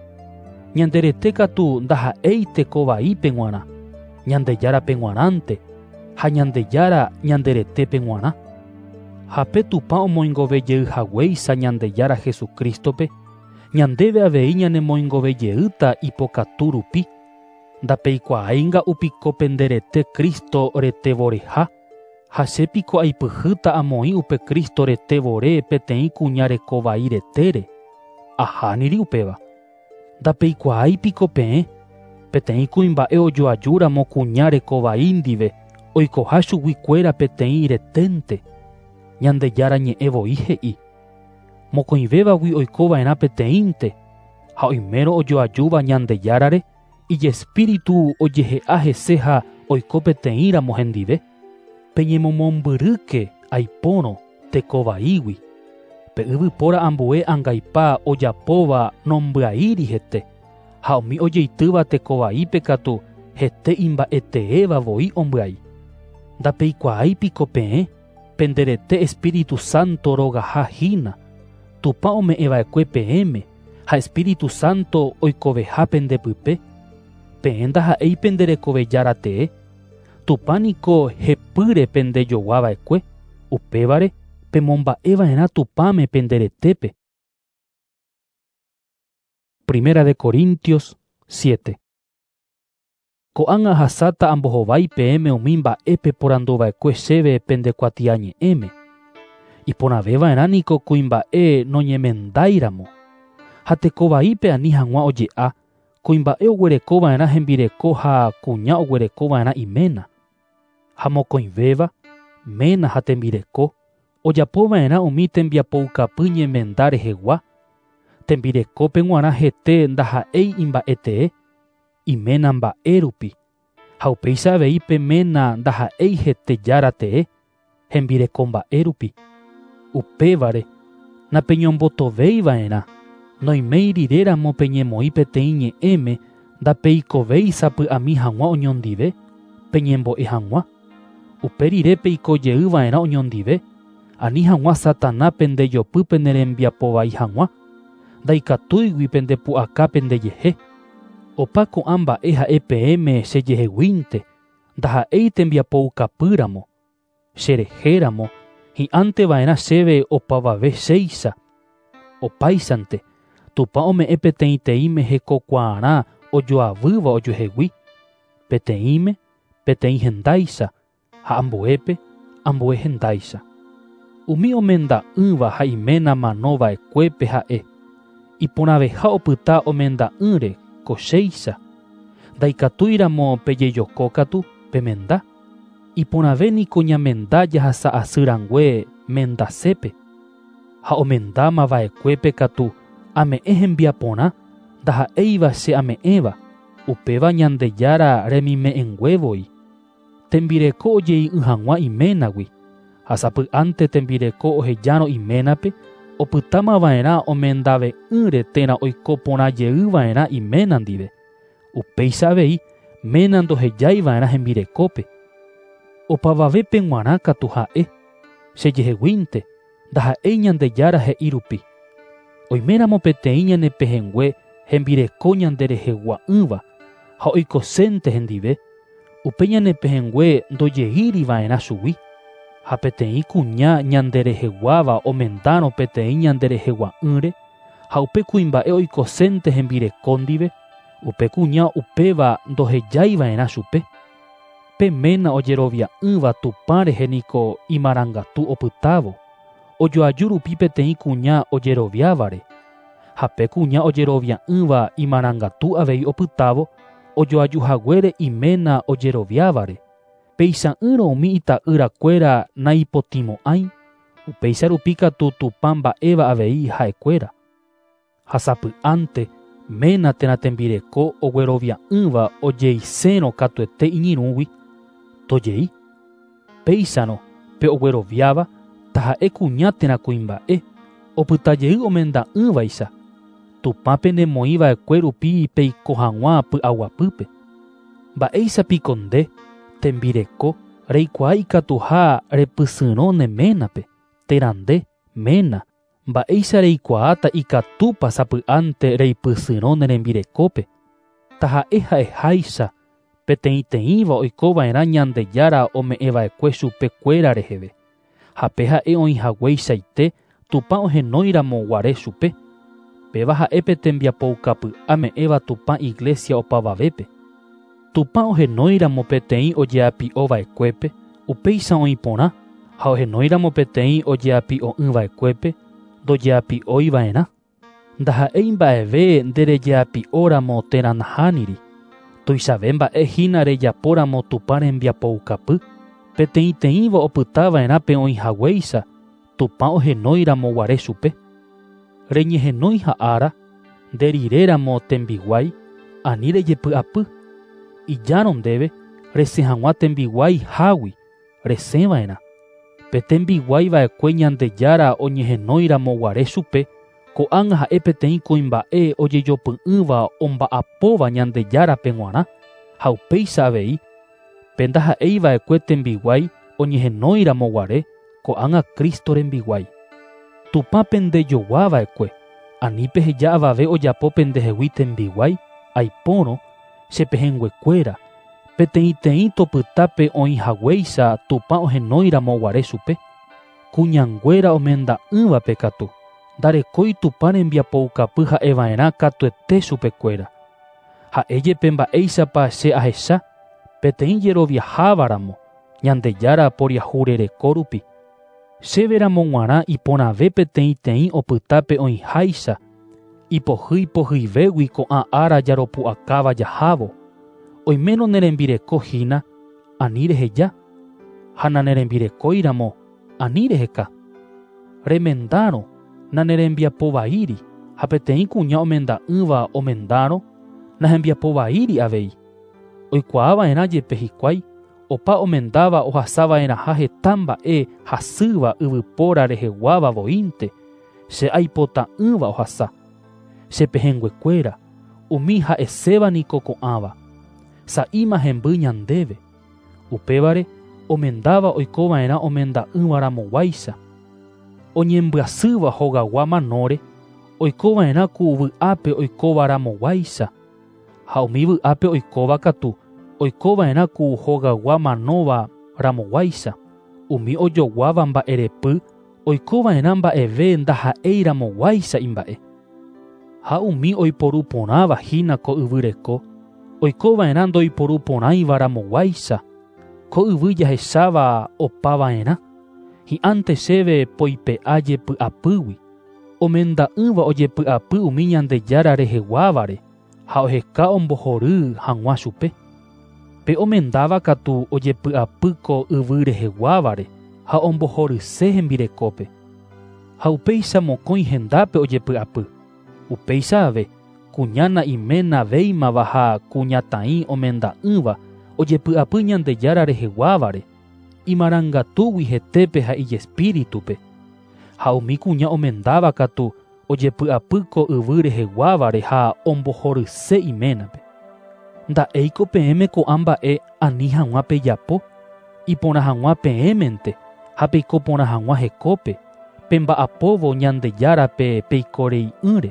S1: Ñande rete katu ndaha'éi tekovaípe g̃uarã, Ñandejárape g̃uarãnte, ha Ñandejára ñande retépe g̃uarã. Ha pe Tupã omoingovejeyhaguéicha Ñandejára Jesucristope, ñandéve avei ñanemoingovejeýta ipokatu rupi. Ndapeikuaáinga'u piko pende rete Cristo retevoreha, ha che piko aipyhýta amoĩ upe Cristo retevore peteĩ kuña rekovai retére. Ahániri upéva. Ndapeikuaáipiko peẽ, peteĩ kuimba'e ojoajúramo kuña rekovai ndive oikoha chuguikuéra peteĩ reténte. Ñandejára ñe'ẽ voi he'i. Mokõivévagui oikova'erã peteĩnte, ha oimérõ ojoajúva Ñandejárare, ijespíritu ojehe'a hese ha oiko peteĩramo hendive. Peñemomombyrýke aipórõ tekovaígui. Pe yvypóra ambue angaipa ojapóva nombyaíri hete, ha umi ojeitýva tekovaípe katu hete imba'eteéva voi ombyai. Ndapeikuaáipiko peẽ, pende rete Espíritu Santo rogaha hína, Tupã ome'ẽva'ekue peẽme, ha Espíritu Santo oikoveha pendepype. Peẽ ndaha'éi pende rekovejára tee. Tupã niko hepýre pendejoguava'ekue, upévare pemomba'eva'erã Tupãme pende retépe. Primera de Corintios 7. Ko'ág̃a ahasáta ambohovái peẽme umi mba'épe poranduva'ekue chéve pende kuatiañe'ẽme. Iporãveva'erã niko kuimba'e noñemendáiramo. Ha tekovaípe ani hag̃ua oje'a, kuimba'e oguerekova'erã hembireko ha kuña oguerekova'erã iména. Ha mokõivéva, ména ha tembireko, ojapova'erã umi tembiapoukapy ñemenda rehegua. Tembirekópe g̃uarã hete ndaha'éi imba'etee, iména mba'e rupi. Ha upéicha avei pe ména ndaha'éi hete jára tee, hembireko mba'e rupi. Upévare napeñombotoveiva'erã. Noiméi riréramo peñemoĩ peteĩ ñe'ẽme ndapeikovéi sapy'ami hag̃ua oñondive, peñembo'e hag̃ua. Upe rire peikojeyva'erã oñondive, ani hag̃ua Satana pendejopy penerembiapovai hag̃ua, ndaikatúigui pendepu'aka pendejehe. Opa ko'ã mba'e ha'e peẽme chejeheguínte, ndaha'éi tembiapoukapýramo. Cherehéramo, hi'ánteva'erã chéve opavave chéicha. Opáichante, Tupã ome'ẽ peteĩteĩme hekokuaarã ojoavýva ojuehegui, peteĩme, peteĩ hendáicha, ha ambuépe, ambue hendáicha. Umi omenda'ỹva ha iména manova'ekuépe ha'e, iporãveha opyta omenda'ỹre ko chéicha. Ndaikatúiramo pejejokókatu pemenda. Iporãve niko ñamenda jahasa'asy rangue mendasépe. Ha omendámava'ekuépe katu ame'ẽ hembiaporã ndaha'éiva che ame'ẽva, upéva Ñandejára remime'ẽnguévoi. Tembireko ojei'ỹ hag̃ua iménagui, ha sapy'ánte tembireko ohejárõ iménape, opytámava'erã omendave'ỹre térã oiko porã jeyva'erã iména ndive. Upéicha avei ména ndohejaiva'erã hembirekópe. Opavavépe g̃uarã katu ha'e, chejeheguínte, ndaha'éi Ñandejára he'i rupi. Oiméramo peteĩ ñanepehẽngue hembireko ñanderehegua'ỹva ha oikosénte hendive, upe ñanepehẽngue ndojeíriva'erã chugui. Ha peteĩ kuña ñandereheguáva omendárõ peteĩ ñanderehegua'ỹre, ha upe kuimba'e oikosénte hembireko ndive, upe kuña upéva ndohejaiva'erã chupe. Pe ména ojerovia'ỹva Tupã rehe niko imarangatu opytávo, ojoaju rupi peteĩ kuña ojeroviávare. Ha pe kuña ojerovia'ỹva imarangatu avei opytávo, ojoajuhaguére iména ojeroviávare. Péicha'ỹrõ umi ita'yrakuéra naipotĩmo'ãi, upéicha rupi katu Tupã mba'éva avei ha'ekuéra. Ha sapy'ánte ména térã tembireko oguerovia'ỹva ojeisérõ katuete iñirũgui, tojei. Péicharõ pe ogueroviáva taha'e kuña térã kuimba'e, opytajey omenda'ỹvaicha. Tupã penemoĩva'ekue rupi peiko hag̃ua py'aguapýpe. Mba'éichapiko nde, tembireko, reikuaa ikatuha repysyrõ ne ménape, térã nde, ména, mba'éicha reikuaáta ikatúpa sapy'ánte reipysyrõ ne rembirekópe. Taha'e ha'eháicha, peteĩteĩva oikova'erã Ñandejára ome'ẽva'ekue chupekuéra reheve. Ha pe ha'e oĩhagueichaite Tupã ohenóiramo guare chupe. Péva ha'e pe tembiapoukapy'a me'ẽva Tupã iglesia opavavépe. Tupã ohenóiramo peteĩ ojeapi'ova'ekuépe, upéicha oĩ porã, ha ohenóiramo peteĩ ojeapi'o'ỹva'ekuépe, ndojeapi'oiva'erã. Ndaha'éi mba'eve nderejeapi'óramo térã nahániri. Tuichave mba'e hína rejapóramo Tupã rembiapoukapy, peteĩteĩva opytava'erã pe oĩhaguéicha, Tupã ohenóiramo guare chupe. Reñehenói ha'ára, nderiréramo tembiguái, ani rejepy'apy. Ijárõ ndéve resẽ hag̃ua tembiguái hágui, resẽva'erã. Pe tembiguaiva'ekue Ñandejára oñehenóiramo guare chupe, ko'ág̃a ha'e peteĩ kuimba'e ojejopy'ỹva omba'apóva Ñandejárape g̃uarã, ha upéicha avei, pe ndaha'eiva'ekue tembiguái oñehenóiramo guare, ko'ág̃a Cristo rembiguái. Tupã pendejoguava'ekue, ani peheja avave ojapo pendehegui tembiguái, aipórõ, chepehẽnguekuéra, peteĩteĩ topytápe oĩhaguéicha Tupã ohenóiramo guare chupe. Kuñanguéra omenda'ỹvape katu, ndarekói Tupã rembiapoukapy ha'eva'erã katuete chupekuéra. Ha'e jepe mba'éichapa che ahecha, peteĩ jeroviahávaramo, Ñandejára poriahurereko rupi. Chéveramo g̃uarã iporãve peteĩteĩ opytápe oĩháicha, ipohýi pohýivégui ko'ã ára jaropu'akáva jahávo. Oimérõ nerembireko hína, ani reheja, ha nanerembirekóiramo, ani reheka. Remendárõ, nanerembiapovaíri, ha peteĩ kuña omenda'ỹva omendárõ, nahembiapovaíri avei. Oikuaava'erã jepe hikuái, Opa omendáva ohasava'erãha heta mba'e hasýva yvypóra reheguáva voínte, che aipota'ỹva ohasa. Che pehẽnguekuéra, umi ha'eséva niko ko'ãva. Sa'íma hemby ñandéve. Upévare, omendáva oikova'erã omenda'ỹva ramoguáicha. Oñembyasýva hogagua manóre, oikova'erã ku vy'ápe oikóva ramoguáicha. Ha umi vy'ápe oikóva katu, oikova'erã ku hogagua manóva ramoguáicha. Umi ojoguáva mba'erepy, oikova'erã mba'eve ndaha'éi ramoguáicha imba'e. Ha umi oiporu porãva hína ko yvy reko, oikova'erã ndoiporu porãiva ramoguáicha. Ko yvy jahecháva opava'erã. Hi'ãnte chéve poipe'a jepy'apýgui. Omenda'ỹva ojepy'apy umi Ñandejára reheguávare ha oheka ombohory hag̃ua chupe. Pe omendáva katu ojepy'apy ko yvy reheguávare ha ombohoryse hembirekópe. Ha upéicha mokõi hendápe ojepy'apy. Upéicha ave, kuña na'iména véimava ha kuñataĩ omenda'ỹva ojepy'apy Ñandejára reheguávare, imarangatúgui hetépe ha ijespíritupe. Ha umi kuña omendáva katu ojepy'apy ko yvy reheguávare ha ombohoryse iménape. Nda'éiko peẽme ko'ã mba'e ani hag̃ua pejapo, iporã hag̃ua peẽmente ha peiko porã hag̃ua hekópe, pemba'apóvo Ñandejárape peikorei'ỹre.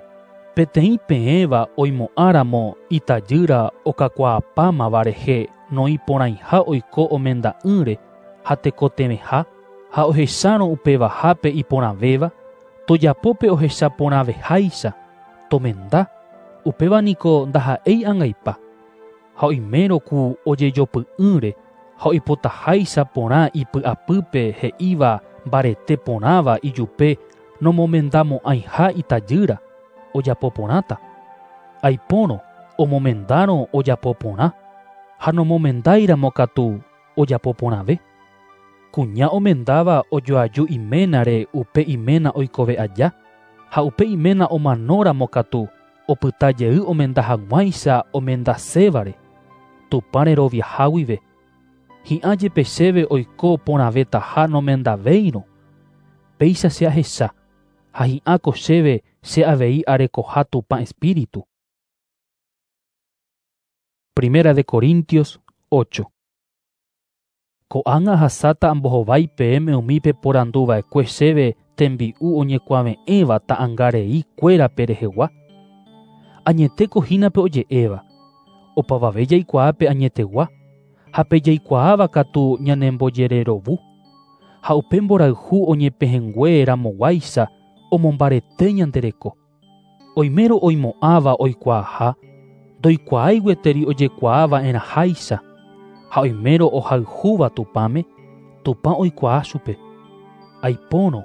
S1: Peteĩ peẽva oimo'ãramo itajýra okakuaapámava rehe noĩporãiha oiko omenda'ỹre ha tekotevẽha, ha ohechárõ upevahápe iporãvéva, tojapópe ohecha porãveháicha, tomenda, upéva niko ndaha'éi angaipa. Ha oimérõ ku ojejopy'ỹre ha oipotaháicha porã ipy'apýpe he'íva mbarete porãva ijupe nomomendamo'ãiha itajýra, ojapo porãta. Aipórõ omomendárõ ojapo porã, ha nomomendáiramo katu ojapo porãve. Kuña omendáva ojoaju iménare upe iména oikove aja, ha upe iména omanóramo katu opyta jey omenda hag̃uáicha omendasévare, Tupã reroviaha guive. Hi'ã jepe chéve oiko porãvetaha nomendavéirõ. Péicha che ahecha, ha hi'ãko chéve che avei arekoha Tupã espíritu. Primera de Corintios 8. Ko'ág̃a ahasáta ambohovái peẽme umi peporanduva'ekue chéve tembi'u oñekuave'ẽva ta'ãngarei kuérape rehegua. Añetéko hína pe oje'éva. Opavave jaikuaa pe añetegua, ha pe jaikuaáva katu ñanembojererovu. Ha upe mborayhu oñepehẽngue ramoguáicha omombarete ñande reko. Oimérõ oimo'ãva oikuaaha, ndoikuaái gueteri ojekuaava'erãháicha. Ha oimérõ ohayhúva Tupãme, Tupã oikuaa chupe. Aipórõ,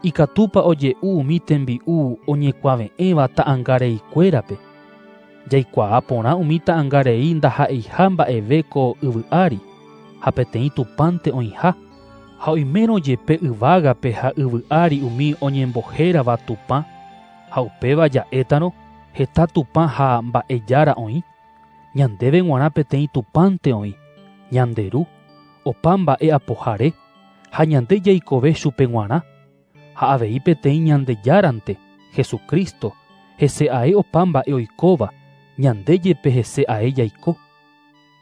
S1: ikatúpa oje'u umi tembi'u oñekuave'ẽva ta'ãngareikuérape. Jaikuaa porã umi ta'ãngarei ndaha'eiha mba'eve ko yvy ári, ha peteĩ Tupãnte oĩha. Ha oimérõ jepe yvágape ha yvy ári umi oñembohérava Tupã, ha upéva ja'étarõ heta Tupã ha mba'ejára oĩ. Ñandéve g̃uarã peteĩ Tupãnte oĩ, ñande Ru, opa mba'e apohare, ha ñande jaikove chupe g̃uarã. Ha avei peteĩ Ñandejárante, Jesucristo, hese ae opa mba'e oikóva, ñande jepe hese ae jaiko.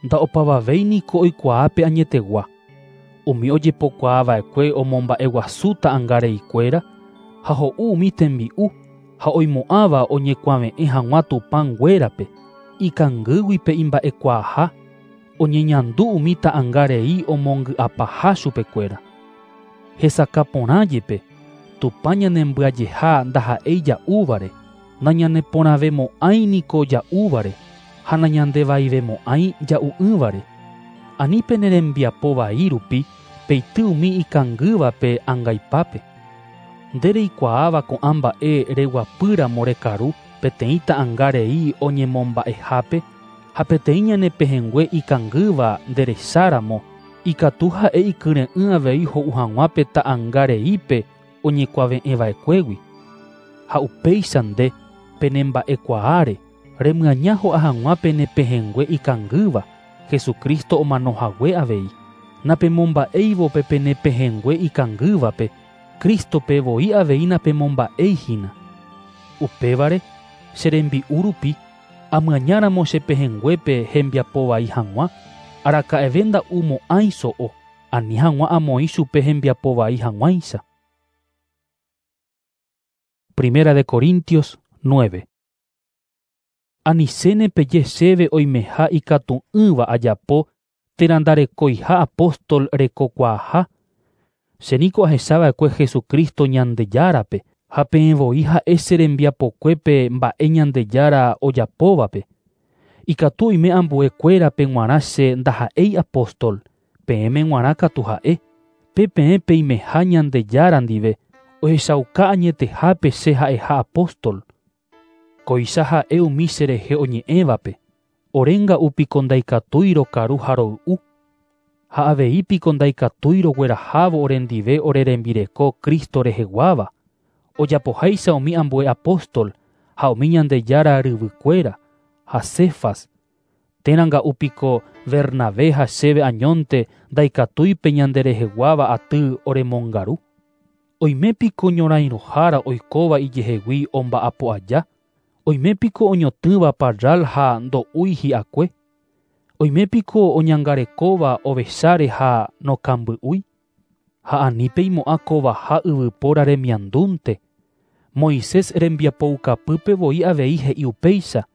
S1: Nda'opavavéi niko oikuaa pe añetegua. Umi ojepokuaava'ekue omomba'eguasu ta'ãngareikuéra ha ho'u umi tembi'u ha oimo'ãva oñekuave'ẽ hag̃ua Tupãnguérape, ikangýgui pe imba'ekuaaha, oñeñandu umi ta'ãngarei omongy'apaha chupekuéra. Hesakã porã jepe, Tupã ñanembyajeha ndaha'éi ja'úvare, nañaneporãvemo'ãi niko ja'úvare, ha nañandevaivemo'ãi ja'u'ỹvare. Ani pene rembiapo vai rupi peity umi ikangývape angaipápe. Nde reikuaáva ko'ã mba'e reguapýramo rekaru peteĩ ta'ãngarei oñemomba'ehápe ha peteĩ ñanepehẽngue ikangýva nderecháramo, ikatu ha'e ikyre'ỹ avei ho'u hag̃ua pe ta'ãngareípe oñekuave'ẽva'ekuégui. Ha upéicha nde penemba'ekuaáre remyaña ho'a hag̃ua penepehẽngue ikangýva, Jesucristo omanohague avei. Napemomba'éivo pe pene pehẽngue ikangývape, Crístope voi avei napemomba'éi hína. Upévare, che rembi'u rupi, amyañáramo che pehẽnguépe hembiapo vai hag̃ua, araka'eve nda'umo'ãi so'o, ani hag̃ua amoĩ chupe hembiapo vai hag̃uáicha. Primera de Corintios 9. Anichéne peje chéve oimeha ikatu'ỹva ajapo térã ndarekoiha apóstol rekokuaaha. Che niko ahechava'ekue Jesucristo Ñandejárape ha peẽ voi ha'e che rembiapokuépe mba'e Ñandejára ojapóvape. Ikatu oime ambuekuérape g̃uarã che ndaha'éi apóstol, peẽme g̃uarã katu ha'e. Pe peẽ peimeha Ñandejára ndive ohechauka añetehápe che ha'eha apóstol. Kóicha ha'e umi cherehe oñe'ẽvape. Orénga'u piko ndaikatúi rokaru ha roy'u. Ha avei piko ndaikatúi roguerahávo orendive ore rembireko Cristo reheguáva. Ojapoháicha umi ambue apóstol ha umi Ñandejára ryvykuéra ha Cefas. Térãnga'u piko Bernabé ha chéve añónte ndaikatúi pe ñandereheguáva aty oremongaru. Oime piko ñorãirõhára oikóva ijehegui omba'apo aja. Oime piko oñotỹva parral ha ndo'úi hi'akue. Oime piko oñangarekóva ovecháre ha nokamby'úi. Ha ani peimo'ã kovaha yvypóra remiandúnte. Moisés rembiapoukapýpe voi avei he'i upéicha.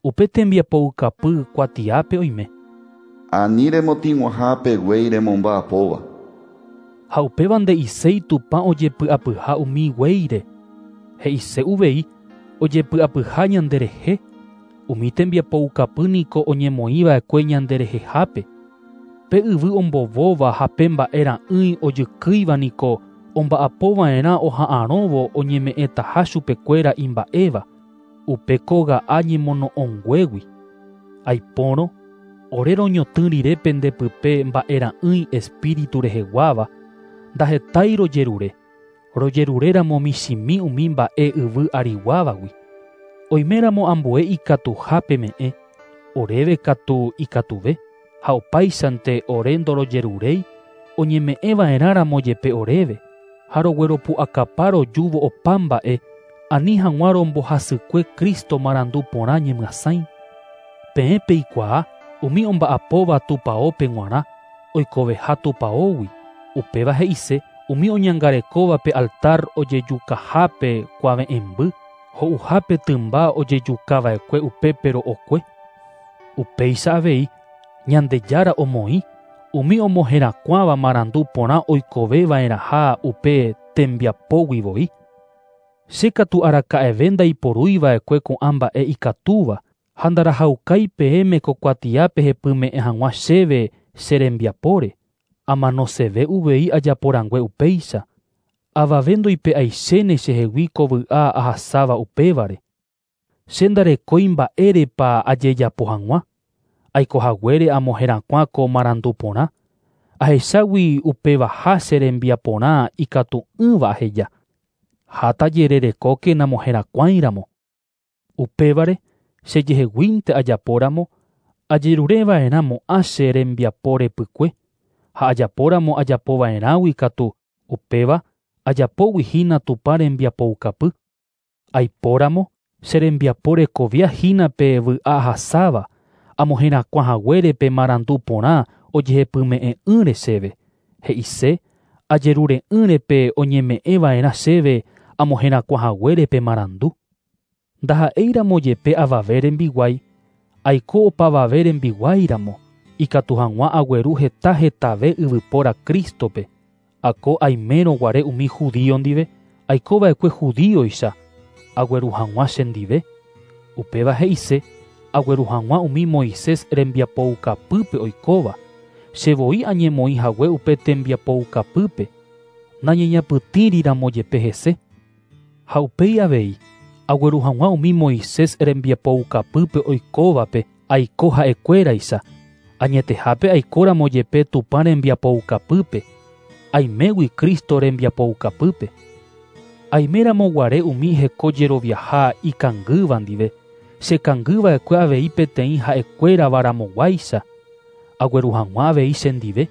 S1: Upe tembiapoukapy kuatiápe oime.
S2: Ani remotĩguaha guéi remomba'apóva.
S1: Ha upéva nde'iséi Tupã ojepy'apyha umi guéire. He'ise uvei ojepy'apyha ñanderehe. Umi tembiapoukapy niko oñemoĩva'ekue ñanderehehápe. Pe yvy ombovóva ha pe mba'e ra'ỹi ojykýiva niko omba'apova'erã oha'arõvo oñeme'ẽtaha chupekuéra imba'éva. Upe kóga'a ñemono'õnguégui. Aipórõ, ore roñotỹ rire pendepype mba'e ra'ỹi espíritu reheguáva, ndahetái rojerure. Rojeruréramo michĩmi umi mba'e yvy ariguávagui. Oiméramo ambue ikatuha peme'ẽ, oréve katu ikatuve, ha opáichante ore ndorojeruréi, oñeme'ẽva'erãramo jepe oréve, ha rogueropu'akapa rojúvo opa mba'e, ani hag̃ua rombohasykue Cristo marandu porã ñemyasãi. Peẽ peikuaa umi omba'apóva tupaópe g̃uarã oikoveha tupaógui. Upéva he'ise umi oñangarekóvape altar ojejukahápe kuave'ẽmby, ho'uhápe tymba ojejukava'ekue upépe ro'okue. Upéicha avei Ñandejára omoĩ umi omoherakuãva marandu porã oikoveva'erãha upe tembiapógui voi. Che katu araka'eve ndaiporúiva'ekue ko'ã mba'e ikatúva ha ndarahaukái peẽme ko kuatiápe hepyme'ẽ hag̃ua chéve che rembiapóre. Amanoseve uvei ajaporangue upéicha. Avave ndoipe'aichéne chehegui ko vy'a ahasáva upévare. Che ndarekói mba'érepa ajejapo hag̃ua. Aikohaguére amoherakuã ko marandu porã. Ahechágui upevaha che rembiaporã ikatu'ỹva aheja. Ha tajererekóke namoherakuãiramo. Upévare chejeheguínte ajapóramo, ajerureva'erãmo'ã che rembiapo repykue. Ha ajapóramo ajapova'erãgui katu upéva ajapógui hína Tupã rembiapoukapy. Aipóramo che rembiapo rekovia hína pe vy'a ahasáva, amoherakuãhaguére pe marandu porã ojehepyme'ẽ'ỹre chéve. He'ise ajerure'ỹre pe oñeme'ẽva'erã chéve amoherakuãhaguére pe marandu. Ndaha'éiramo jepe avave rembiguái, aiko opavave rembiguáiramo, ikatu hag̃ua agueru heta hetave yvypóra Crístope. Ako aimérõ guare umi judío ndive, aikova'ekue judíoicha, agueru hag̃ua chendive. Upéva he'ise agueru hag̃ua umi Moisés rembiapoukapýpe oikóva. Che voi añemoĩ hague upe tembiapoukapýpe, nañeñapytĩriramo jepe hese. Ha upéi avei, agueru hag̃ua umi Moisés rembiapoukapýpe oikóvape aiko ha'ekuéraicha. Añetehápe aikóramo jepe Tupã rembiapoukapýpe, aimégui Cristo rembiapoukapýpe. Aiméramo guare umi heko jeroviaha ikangýva ndive, chekangýva'ekue avei peteĩ ha'ekuéravaramoguáicha, agueru hag̃ua avei chendive.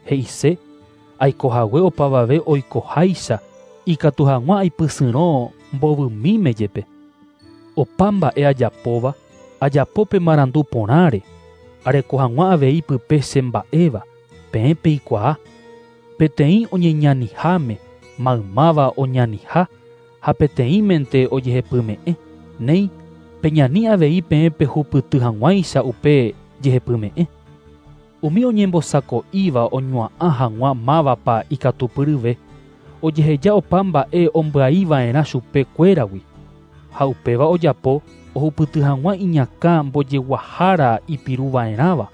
S1: He'ise aikohague opavave oikoháicha ikatu hag̃ua aipysyrõ mbovymíme jepe. Opa mba'e ajapóva ajapo pe marandu porãre, areko hag̃ua avei pype che mba'éva, peẽ peikuaa. Peteĩ oñeñaniháme maymáva oñaniha ha peteĩmente ojehepyme'ẽ. Néi peñani avei peẽ pehupyty hag̃uáicha upe jehepyme'ẽ. Umi oñembosako'íva oñua'ã hag̃ua mávapa ikatupyryve, ojeheja opa mba'e ombyaiva'erã chupe kuéragui. Ha upéva ojapo ohupyty hag̃ua iñakã mbojeguahára ipiruva'erãva.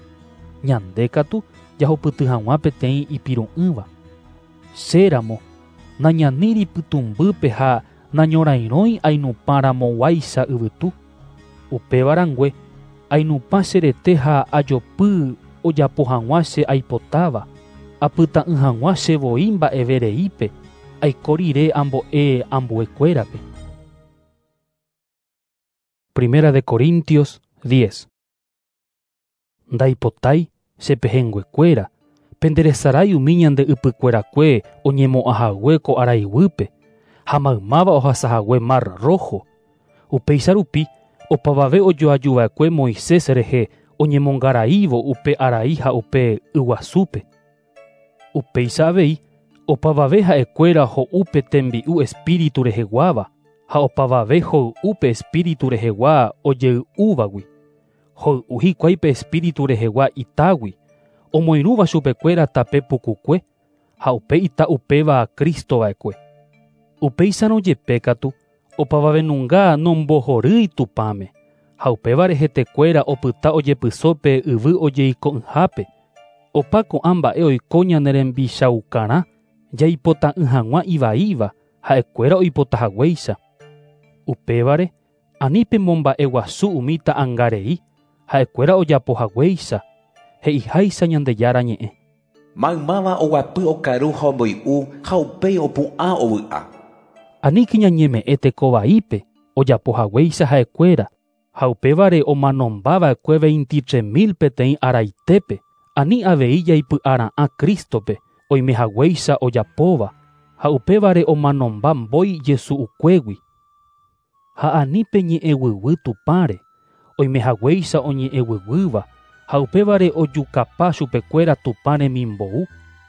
S1: Ñande katu jahupyty hag̃ua peteĩ ipiru'ỹva. Chéramo nañaníri pytũmbýpe ha nañorairõi ainupãramoguáicha yvytu. Upéva rangue ainupã che rete ha ajopy ojapo hag̃ua che aipotáva, apyta'ỹ hag̃ua che voi mba'evereípe, aiko rire ambo'e ambuekuérape. Primera de Corintios 10. Ndaipotái che pehẽnguekuéra, penderesarái umi ñande ypykuerakue oñemo'ãhague ko araiguýpe ha maymáva ohasahague Mar Rojo. Upéicha rupi opavave ojoajuva'ekue Moisés rehe oñemongaraívo upe arai ha upe yguasúpe. Upéicha avei opavave ha'ekuéra ho'u pe tembi'u espíritu reheguáva ha opavave hoy'u pe espíritu rehegua ojey'úvagui. Hoy'u hikuái pe espíritu rehegua itágui, omoirũva chupekuéra tape pukukue ha upe ita upéva Cristo va'ekue. Upéicharõ jepe katu opavavenunga nombohorýi Tupãme ha upévare hetekuéra opyta ojepysópe yvy ojeiko'ỹhápe. Opa ko'ã mba'e oiko ñane rembichaukarã jaipota'ỹ hag̃ua ivaíva ha'ekuéra oipotahaguéicha. Upévare ani pemomba'eguasu umi ta'ãngarei ha'ekuéra ojapohaguéicha, he'iháicha Ñandejára ñe'ẽ.
S4: Maymáva oguapy okaru ha omboy'u ha upéi opu'ã ovy'a.
S1: Aníke ñañeme'ẽ tekovaípe ojapohaguéicha ha'ekuéra ha upévare omanombava'ekue 23,000 peteĩ araitépe, ani avei jaipy'ara'ã Cristope oimehaguéicha ojapóva ha upévare omanomba mbói Jesu'ukuégui. Ha ani peñe'ẽguyguy Tupãre oimehaguéicha oñe'ẽguyguýva ha upévare ojukapa chupekuéra Tupã remimbou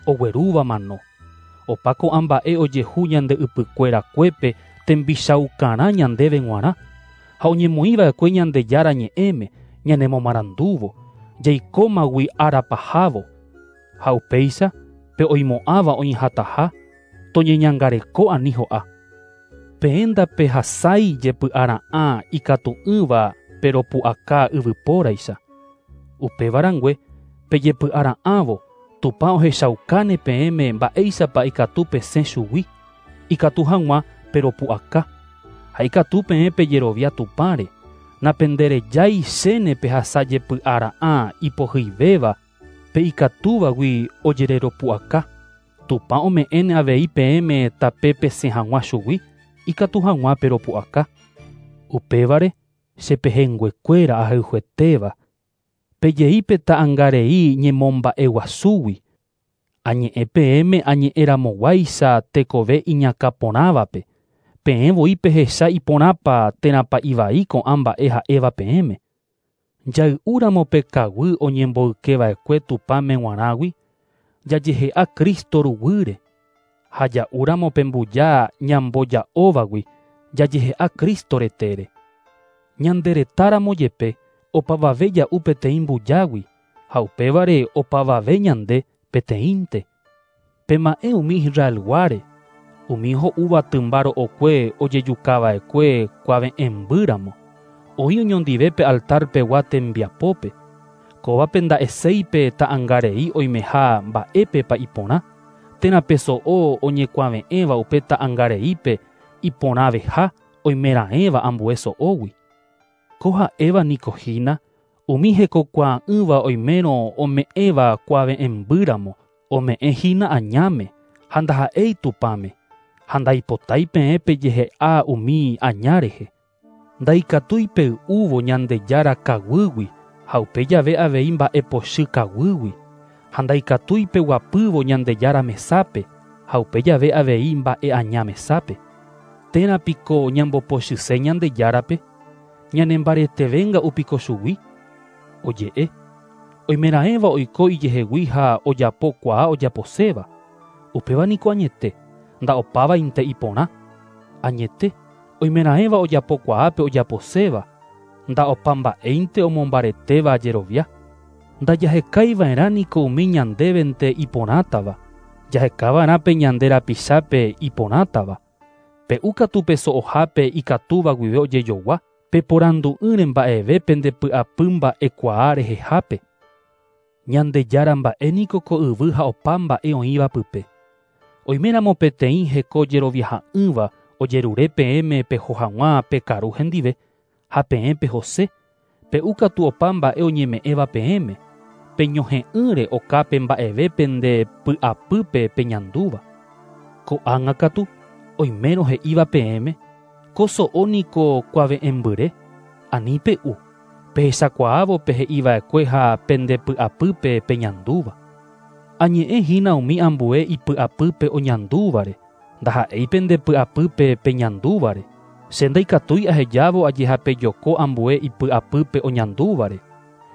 S1: oguerúva mano. Opa ko'ã mba'e ojehu ñande ypykuerakuépe tembichaukarã ñandéve g̃uarã ha oñemoĩva'ekue Ñandejára ñe'ẽme ñanemomarandúvo jaikómagui árapahávo. Ha upéicha pe oimo'ãva oĩhataha toñeñangareko ani ho'a. Peẽ ndapehasái jepy'ara'ã ikatu'ỹva peropu'aka yvypóraicha. Upéva rangue pejepy'ara'ãvo Tupã ohechaukáne peẽme mba'éichapa ikatu pesẽ chugui, ikatu hag̃ua peropu'aka. Ha ikatu peẽ pejerovia Tupãre, napenderejái chéne pehasa jepy'ara'ã ipohyivéva pe ikatúvagui ojereropu'aka. Tupã ome'ẽne avei peẽme tape pesẽ hag̃ua chugui, ikatu hag̃ua peropu'aka. Upévare che pehẽnguekuéra ahayhuetéva, pejei pe ta'ãngarei ñemomba'eguasúgui. Añe'ẽ peẽme añe'ẽramoguáicha tekove iñakãporãvape, peẽ voi pehecha iporãpa térãpa ivai ko'ã mba'e ha'éva peẽme. Jay'úramo pe kaguy oñemboykeva'ekue Tupãme g̃uarãgui, jajehe'a Cristo ruguýre. Ha ja'úramo pe mbuja ñamboja'óvagui, jajehe'a Cristo retére. Ñande retáramo jepe opavave ja'u peteĩ mbujágui, ha upévare opavave ñande peteĩnte. Pema'ẽ umi Israelguáre, umi ho'úva tymba ro'okue ojejukava'ekue kuave'ẽmbýramo, oĩ oñondive pe altarpegua tembiapópe. Kóvape nda'eséipe ta'ãngarei oimeha mba'épepa iporã, térã pe so'o oñekuave'ẽva upe ta'ãngareípe iporãveha oimeraẽva ambue so'ógui. Ko ha'éva niko hína umi hekokuaa'ỹva oimérõ ome'ẽva kuave'ẽmbýramo, ome'ẽ hína añáme ha ndaha'éi Tupãme, ha ndaipotái peẽ pejehe'a umi aña rehe. Ndaikatúi pey'úvo Ñandejára kaguýgui ha upe jave avei mba'epochy kaguýgui. Ha ndaikatúi peguapývo Ñandejára mesápe ha upe jave avei mba'e aña mesápe. Térã piko ñambopochyse Ñandejárape? Ñanembaretevénga'u piko chugui? Oje'e. Oimeraẽva oiko ijehegui ha ojapokuaa ojaposéva. Upéva niko añete, nda'opávainte iporã. Añete, oimeraẽva ojapokuaa pe ojaposéva, nda'opamba'éinte omombaretéva jerovia. Ndajahekaiva'erã niko umi ñandévente iporãtava, jahekava'erã pe ñande rapichápe iporãtava. Pe'u katu pe so'ohápe ikatúva guive ojejogua, peporandu'ỹre mba'eve pendepy'apy mba'ekuaa rehehápe. Ñandejára mba'e niko ko yvy ha opa mba'e oĩva pype. Oiméramo peteĩ heko jeroviaha'ỹva ojerure peẽme peho hag̃ua pekaru hendive, ha peẽ pehose, pe'u katu opa mba'e oñeme'ẽva peẽme, peñohe'ỹre okápe mba'eve pende py'apýpe peñandúva. Ko'ág̃a katu, oimérõ he'íva peẽme, ko so'o niko kuave'ẽmbyre, ani pe'u, pehechakuaávo pe he'iva'ekue ha pendepy'apýpe peñandúva. Añe'ẽhína umi ambue ipy'apýpe oñandúvare, ndaha'éi pendepy'apýpe peñandúvare. Che ndaikatúi ahejávo ajehapejoko ambue ipy'apýpe oñandúvare.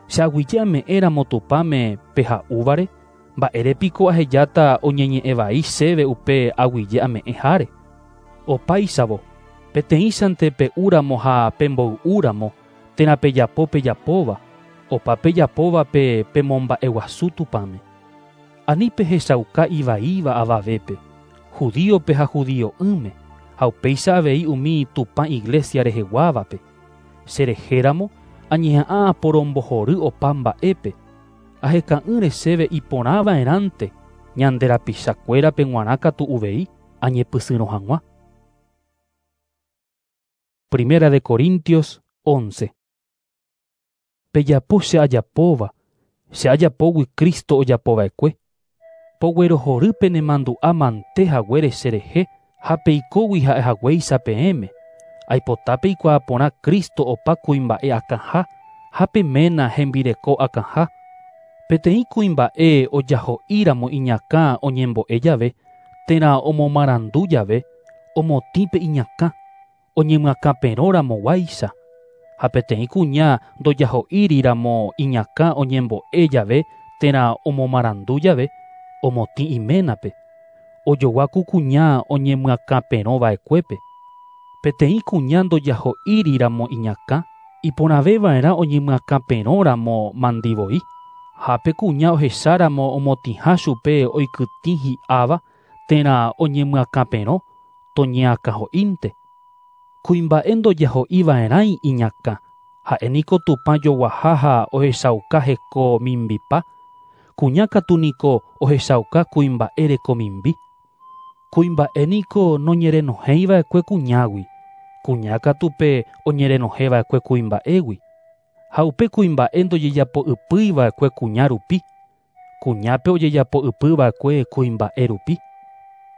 S1: Che aguyje ame'ẽramo Tupãme peha'úvare, mba'érepiko ahejáta oñeñe'ẽvai chéve upe aguyje ame'ẽháre. Opáichavo, peteĩchante pe'úramo ha pemboy'úramo, térã pejapo pejapóva, opa pejapóva pe pemomba'eguasu Tupãme. Ani pehechauka ivaíva avavépe, judíope ha judio'ỹme, ha upéicha avei umi Tupã iglesia reheguávape. Cherehéramo añeha'ã aporombohory opa mba'épe, aheka'ỹre chéve iporãva'erãnte ñande rapichakuérape g̃uarã katu uvei añepysyrõ hag̃ua. Primera de Corintios 11. Pejapo che ajapóva, che ajapógui Cristo ojapova'ekue. Poguerohory penemandu'a mante haguére cherehe ha peikógui ha'ehaguéicha peẽme. Aipota peikuaa porã Cristo opa kuimba'e akãha ha pe ména hembireko akãha. Peteĩ kuimba'e ojaho'íramo iñakã oñembo'e jave, térã omomarandu jave, omotĩ pe iñakã, oñemyakãperõramoguáicha. Ha peteĩ kuña ndojaho'íriramo iñakã oñembo'e jave térã omomarandu jave, omotĩ iménape. Ojogua ku kuña oñemyakãperõva'ekuépe. Peteĩ kuña ndojaho'íriramo iñakã, iporãveva'erã oñemyakãperõramo mandivoi. Ha pe kuña ohecháramo omotĩha chupe oikytĩ hi'áva térã oñemyakãperõ, toñeakãho'ínte. Kuimba'e ndojaho'iva'erãi iñakã, ha'e niko Tupã joguaha ha ohechauka heko mimbipa, kuña katu niko ohechauka kuimba'e reko mimbi. Kuimba'e niko noñerenohẽiva'ekue kuñágui, kuña katu pe oñerenohẽva'ekue kuimba'égui. Ha upe kuimba'e ndojejapo'ypýiva'ekue kuña rupi, kuñápe ojejapo'ypýva'ekue kuimba'e rupi.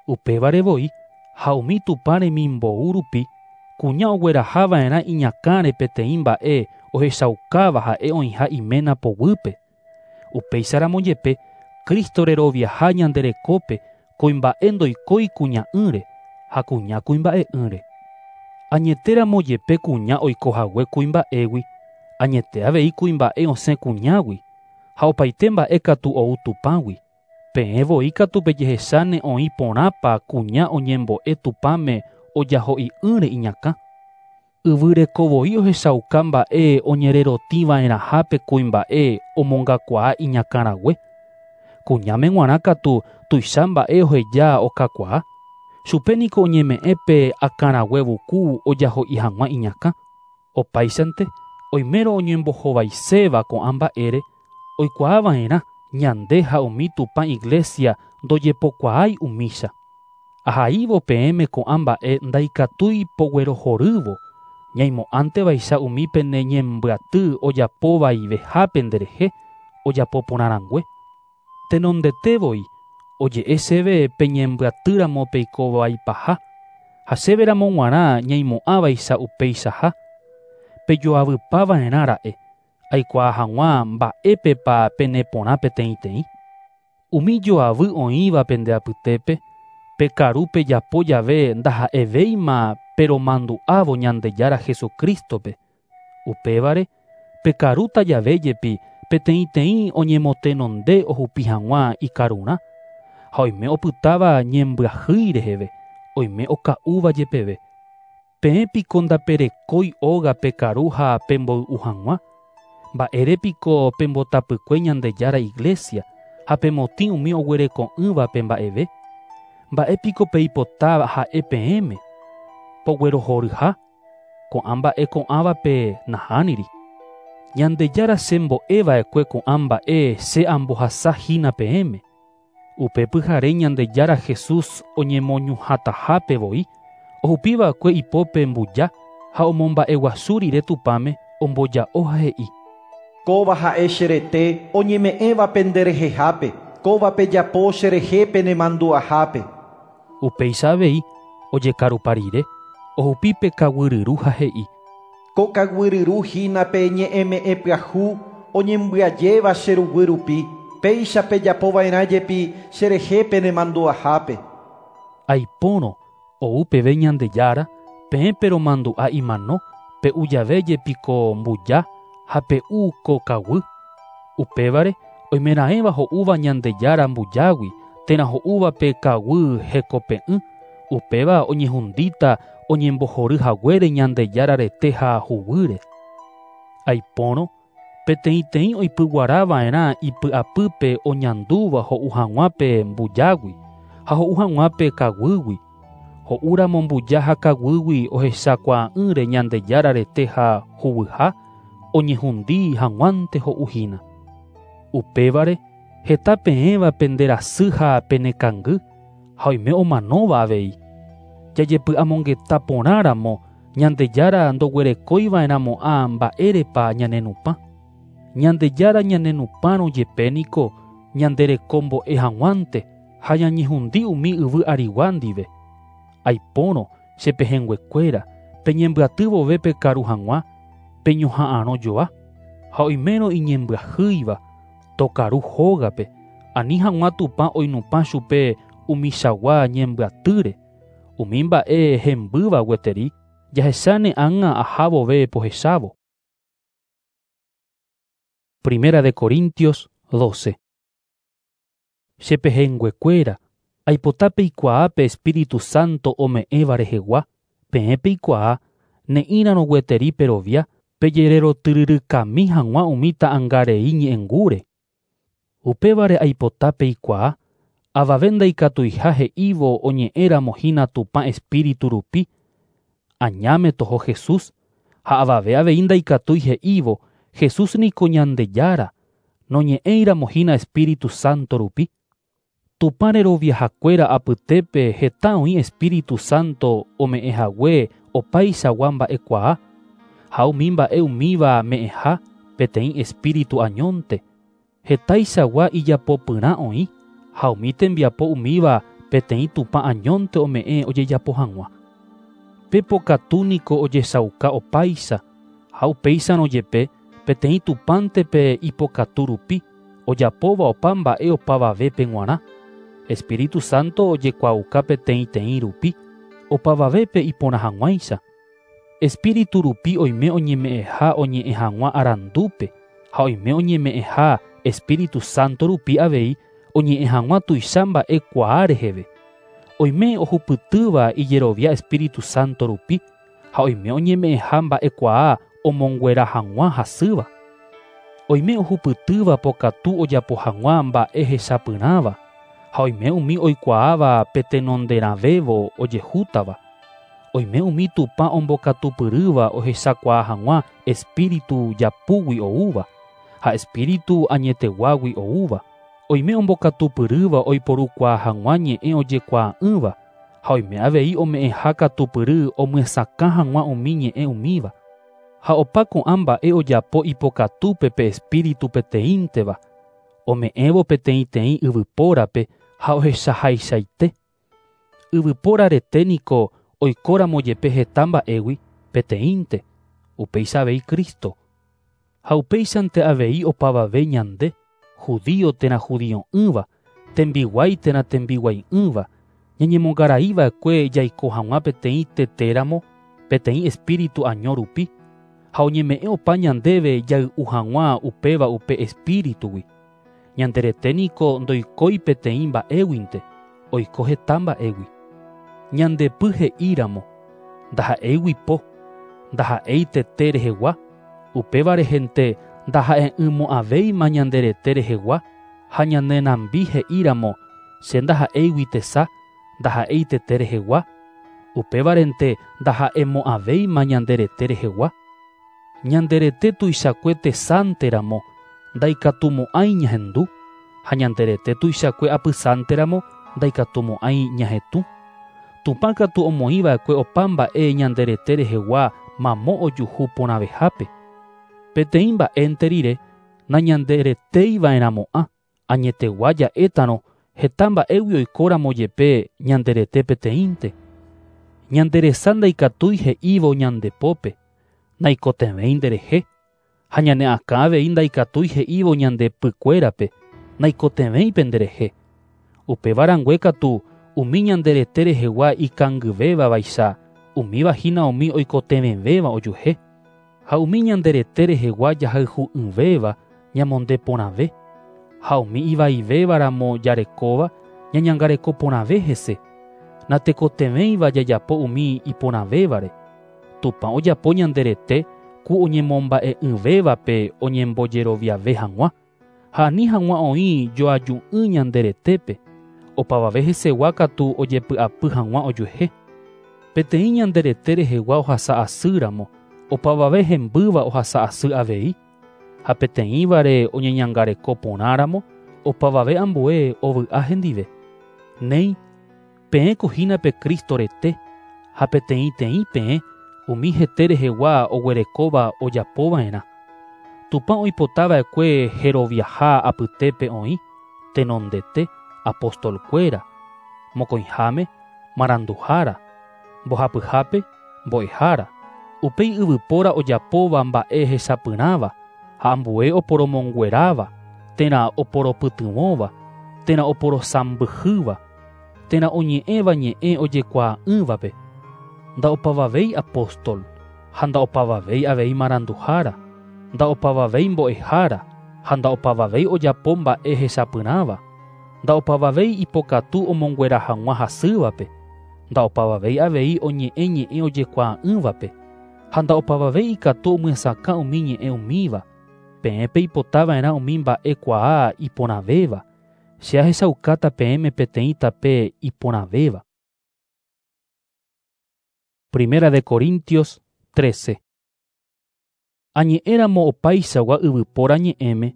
S1: Upévare voi, ha umi Tupã remimbou rupi, kuña oguerahava'erã iñakãre peteĩ mba'e ohechaukáva ha'e oĩha iména poguýpe. Upéicharamo jepe, Cristo reroviaha ñande rekópe kuimba'e ndoikói kuña'ỹre ha kuña kuimba'e'ỹre. Añetéramo jepe kuña oikohague kuimba'égui, añete avei kuimba'e osẽ kuñágui, ha opaite mba'e katu ou Tupãgui. Peẽ voi katu pejehecháne oĩ porãpa kuña oñembo'e Tupãme ojaho'i'ỹre iñakã. Yvyreko voi ohechauka mba'e oñererotĩva'erãhápe kuimba'e omongakuaa iñakãrague. Kuñáme g̃uarã katu tuicha mba'e oheja okakuaa. Chupe niko oñeme'ẽ pe akãrague vuku ojaho'i hag̃ua iñakã. Opáichante, oimérõ oñembohovaiséva ko'ã mba'ére, oikuaava'erã ñande ha umi Tupã iglesia ndojepokuaái umícha. Ahaívo peẽme ko'ã mba'e ndaikatúi poguerohorývo, ñaimo'ãntevaicha umi pene ñembyaty ojapóvaiveha nderehe, ojapo porãrangue. Tenondete voi, oje'e chéve peñembyatýramo peikovaipaha, ha chéveramo g̃uarã ñaimo'ãvaicha upeichaha. Pejoavypava'erã ra'e, aikuaa hag̃ua mba'épepa peneporã peteĩteĩ. Umi joavy oĩva pende apytépe, pekaru pejapo jave ndaha'evéima peromandu'ávo Ñandejára Jesucrístope. Upévare, pekarúta jave jepi peteĩteĩ oñemotenonde ohupi hag̃ua ikarurã, ha oime opytáva ñembyahýi reheve, oime oka'úva jepeve. Peẽ piko ndaperekói óga pekaru ha pemboy'u hag̃ua. Mba'ére piko pembotapykue Ñandejára iglesia ha pemotĩ umi oguereko'ỹvape mba'eve. Mba'e piko peipotáva ha'e peẽme. Poguerohoryha. Ko'ã mba'e ko'ãvape nahániri. Ñandejára chembo'eva'ekue ko'ã mba'e che ambohasahína peẽme. Upe pyhare Ñandejára Jesús oñemoñuhãtahápe voi, ohupiva'ekue ipópe mbuja ha omomba'eguasu rire Tupãme omboja'o ha he'i.
S5: Kóva ha'e che rete oñeme'ẽva penderehehápe, kóva pejapo cherehe penemandu'ahápe.
S1: Upéicha avei ojekarupa rire, ohupi pe kaguyryru ha he'i.
S5: Ko kaguyryru hína pe ñe'ẽme'ẽ pyahu oñembyajéva che ruguy rupi, péicha pejapova'erã jepi cherehe penemandu'ahápe.
S1: Aipórõ ou peve Ñandejára, peẽ peromandu'a imano, pe'u jave jepi ko mbuja ha pe'u ko kaguy. Upévare oimeraẽva ho'úva Ñandejára mbujágui térã ho'úva pe kaguy hekope'ỹ, upéva oñehundíta oñembohory haguére Ñandejára rete ha huguýre. Aipórõ peteĩteĩ oipyguarava'erã ipy'apýpe oñandúva ho'u hag̃ua pe mbujágui ha ho'u hag̃ua pe kaguýgui. Ho'úramo mbuja ha kaguýgui ohechakuaa'ỹre Ñandejára rete ha huguyha, oñehundi hag̃uánte ho'uhína. Upévare heta peẽva penderasy ha penekangy ha oime omanóva avei. Jajepy'amongeta porãramo Ñandejára ndoguerekoiva'erãmo'ã mba'érepa ñanenupã. Ñandejára ñanenupãrõ jepe niko ñanderekombo'e hag̃uánte ha ñañehundi umi yvy arigua ndive. Aipórõ che pehẽnguekuéra peñembyaty vove pekaru hag̃ua, peñoha'ãrõ joa, ha oimérõ iñembyahýiva tokaru hógape, ani hag̃ua Tupã oinupã chupe umichagua ñembyatýre. Umi mba'e hembýva gueteri jahecháne ág̃a aha vove pohechávo. Primera de Corintios 12. Che pehẽnguekuéra, aipota peikuaa pe Espíritu Santo ome'ẽva rehegua, peẽ peikuaa ne'ĩrarõ gueteri perovia pejererotyryrykami hag̃ua umi ta'ãngarei ñe'ẽngúre. Upévare aipota peikuaa, avave ndaikatuiha he'ívo oñe'ẽramo hína Tupã Espíritu rupi, añáme toho Jesús, ha avave avei ndaikatúi he'ívo Jesús niko Ñandejára, noñe'ẽiramo hína Espíritu Santo rupi. Tupã reroviahakuéra apytépe heta oĩ Espíritu Santo ome'ẽhague opaichagua mba'ekuaa, ha umi mba'e umíva me'ẽha peteĩ Espíritu añónte. Hetaichagua ijapopyrã oĩ, ha umi tembiapo umíva peteĩ Tupã añónte ome'ẽ ojejapo hag̃ua. Pe pokatu niko ojechauka opáicha, ha upéicharõ jepe peteĩ Tupãnte pe ipokatu rupi, ojapóva opa mba'e opavavépe g̃uarã. Espíritu Santo ojekuaauka peteĩteĩ rupi, opavavépe iporã hag̃uáicha. Espíritu rupi oime oñeme'ẽha oñe'ẽ hag̃ua arandúpe, ha oime oñeme'ẽha Espíritu Santo rupi avei oñe'ẽ hag̃ua tuicha mba'ekuaa reheve. Oime ohupytýva ijerovia Espíritu Santo rupi, ha oime oñeme'ẽha mba'ekuaa omonguera hag̃ua hasýva. Oime ohupytýva pokatu ojapo hag̃ua mba'e hechapyrãva, ha oime umi oikuaáva petenonderãvévo ojehútava. Oime umi Tupã ombokatupyrýva ohechakuaa hag̃ua Espíritu japúgui oúva, ha Espíritu añeteguágui oúva. Oime ombokatupyrýva oiporukuaa hag̃ua ñe'ẽ ojekuaa'ỹva, ha oime avei ome'ẽha katupyry omyesakã hag̃ua umi ñe'ẽ umíva. Ha opa ko'ã mba'e ojapo ipokatúpe pe Espíritu peteĩnteva, ome'ẽvo peteĩteĩ yvypórape ha ohechahaichaite. Yvypóra rete niko oikóramo jepe heta mba'égui peteĩnte, upéicha avei Cristo. Ha upéichante avei opavave ñande, judío térã judio'ỹva, Tembiguái térã tembiguai'ỹva, ñañemongaraiva'ekue jaiko hag̃ua peteĩ tetéramo, peteĩ espíritu año rupi, ha oñeme'ẽ opa ñandéve jay'u hag̃ua upéva upe espíritugui. Ñande rete niko ndoikói peteĩ mba'éguinte, oiko heta mba'égui. Ñandepy he'íramo, ndaha'éigui po, ndaha'éi tete rehegua, upéva rehente ndaha'e'ỹmo'ãvéima ñande rete rehegua, ha ñane nambi he'íramo, che ndaha'éigui tesa, ndaha'éi tete rehegua, upévarente ndaha'emo'ãvéima ñande rete rehegua. Ñande rete tuichakue tesánteramo, ndaikatumo'ãi ñahendu, ha ñande rete tuichakue apysánteramo, ndaikatumo'ãi ñahetũ. Tupã katu omoĩva'ekue opa mba'e ñande rete rehegua mamo ojuhu porãvehápe. Peteĩ mba'énte rire, nañandereteiva'erãmo'ã, añetegua ja'étarõ heta mba'égui oikóramo jepe ñande rete peteĩnte. Ñande resa ndaikatúi he'ívo ñande pópe, naikotevẽi nderehe, ha ñane akã avei ndaikatúi he'ívo ñande pykuérape, naikotevẽi penderehe. Upéva rangue katu umi ñande rete rehegua ikangyvéva vaicha, umíva hína umi oikotevẽvéva ojuehe. Ha umi ñande rete rehegua jahayhu'ỹvéva ñamonde porãve, ha umi ivaivévaramo jarekóva ñañangareko porãve hese, natekotevẽiva jajapo umi iporãvévare. Tupã ojapo ñande rete ku oñemomba'e'ỹvévape oñembojeroviave hag̃ua, ha ani hag̃ua oĩ joaju'ỹ ñande retépe, opavave hesegua katu ojepy'apy hag̃ua ojuehe. Peteĩ ñande rete rehegua ohasa asýramo, opavave hembýva ohasa asy avei, ha peteĩvare oñeñangareko porãramo, opavave ambue ovy'a hendive. Néi, peẽko hína pe Cristo rete, ha peteĩteĩ peẽ umi hete rehegua oguerekóva ojapova'erã. Tupã oipotava'ekue heroviaha apytépe oĩ, tenondete, apostolkuéra, mokõiháme, maranduhára, mbohapyhápe, mbo'ehára, upéi yvypóra ojapóva mba'e hechapyrãva, ha ambue oporomongueráva, térã oporopytyvõva, térã oporosãmbyhýva, térã oñe'ẽva ñe'ẽ ojekuaa'ỹvape. Ndaopavavéi apóstol, ha ndaopavavéi avei maranduhára, ndaopavavéi mbo'ehára, ha ndaopavavéi ojapo mba'e hechapyrãva, ndaopavavéi ipokatu omonguera hag̃ua hasývape, ndaopavavéi avei oñe'ẽ ñe'ẽ ojekuaa'ỹvape, ha ndaopavavéi ikatu omyesakã umi ñe'ẽ umíva. Peẽ peipotava'erã umi mba'ekuaa iporãvéva, che ahechaukáta peẽme peteĩ tape iporãvéva. Primera de Corintios 13. Añe'ẽramo opaichagua yvypóra ñe'ẽme,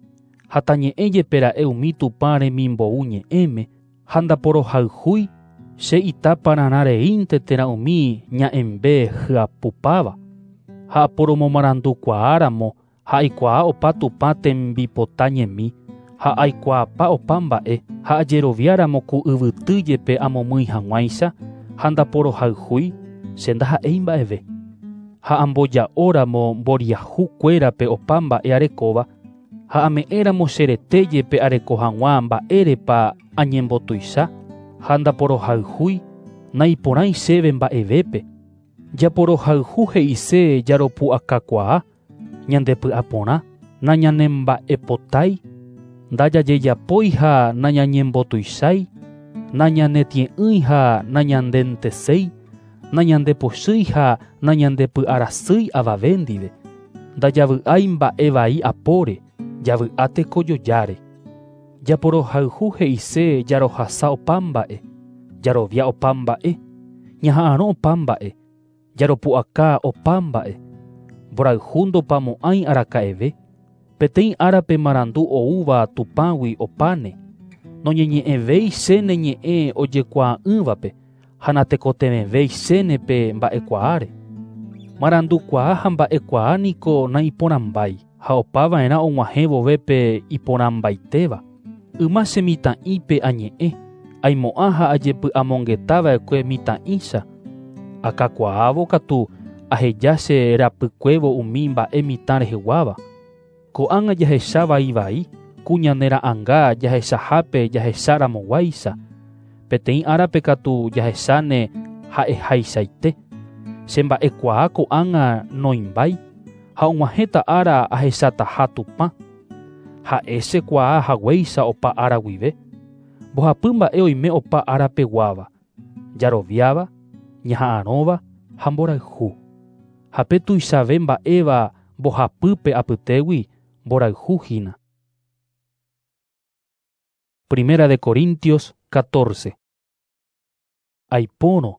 S1: ha tañe'ẽ jepe ra'e umi Tupã remimbou ñe'ẽme, ha ndaporohayhúi, che ita pararã reínte térã umi ña'ẽmbe hyapupáva. Ha aporomomarandukuaáramo, ha aikuaa opa Tupã tembipota ñemi, ha aikuaapa opa mba'e, ha ajeroviáramo ku yvyty jepe amomýi hag̃uáicha, ha ndaporohayhúi, che ndaha'éi mba'eve. Ha amboja'óramo mboriahukuérape opa mba'e arekóva, ha ame'ẽramo che rete jepe areko hag̃ua mba'érepa añembotuicha, ha ndaporohayhúi, naiporãi chéve mba'evépe. Japorohayhu he'ise jaropu'akakuaa, ñandepy'aporã, nañanemba'epotái, ndajajejapói ha nañañembotuichái, nañanetie'ỹi ha nañandenteséi, nañandepochýi ha nañandepy'arasýi avave ndive, ndajavy'ái mba'e vai apóre, javy'a tekojojáre. Japorohayhu he'ise jarohasa opa mba'e, jarovia opa mba'e, ñaha'arõ opa mba'e, jaropu'aka opa mba'e, mborayhu ndopamo'ãi araka'eve, peteĩ árape marandu oúva Tupãgui opáne, noñeñe'ẽvéi chéne ñe'ẽ ojekuaa'ỹvape, ha natekotevẽvéi chéne pe mba'ekuaáre. Marandukuaa ha mba'ekuaa niko naiporãmbái, ha opava'erã og̃uahẽ vove pe iporãmbaitéva. Yma che mitã'ípe añe'ẽ, aimo'ã ha ajepy'amongetava'ekue mitã'ícha. Akakuaávo katu aheja che rapykuévo umi mba'e mitã reheguáva. Ko'ág̃a jahecha vai vai, ku ñane ra'ãnga jahechahápe jahecharamoguáicha. Peteĩ árape katu jahecháne ha'ehaichaite. Chemba'ekuaa ko'ág̃a noimbái ha og̃uahẽta ára ahechataha Tupã. Ha'e chekuaa haguéicha opa ára guive. Mbohapy mba'e oime opa árapeguáva: jaroviáva, ñaha'arõva ha mborayhu. Ha pe tuichave mba'éva mbohapýpe apytégui mborayhu hína. Primera de Corintios 14. Aipórõ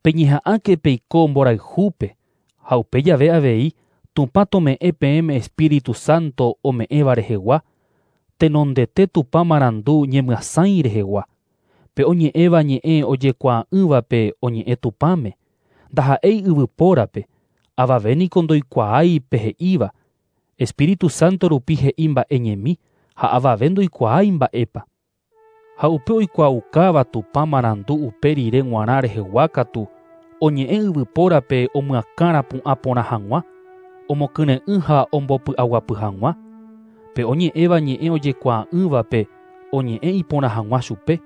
S1: peñeha'ãke peiko mborayhúpe ha upe jave avei Tupã tome'ẽ peẽme Espíritu Santo ome'ẽva rehegua, tenondete Tupã marandu ñemyasãi rehegua. Pe oñe'ẽva ñe'ẽ ojekuaa'ỹvape oñe'ẽ Tupãme, ndaha'éi yvypórape, avave niko ndoikuaái pe he'íva. Espíritu Santo rupi he'i mba'e ñemi ha avave ndoikuaái mba'épa. Ha upe oikuaaukáva Tupã marandu upe rire g̃uarã rehegua katu oñe'ẽ yvypórape omyakãrapu'ã porã hag̃ua, omokyre'ỹ ha ombopy'aguapy hag̃ua. Pe oñe'ẽva ñe'ẽ ojekuaa'ỹvape oñe'ẽ iporã hag̃ua chupe,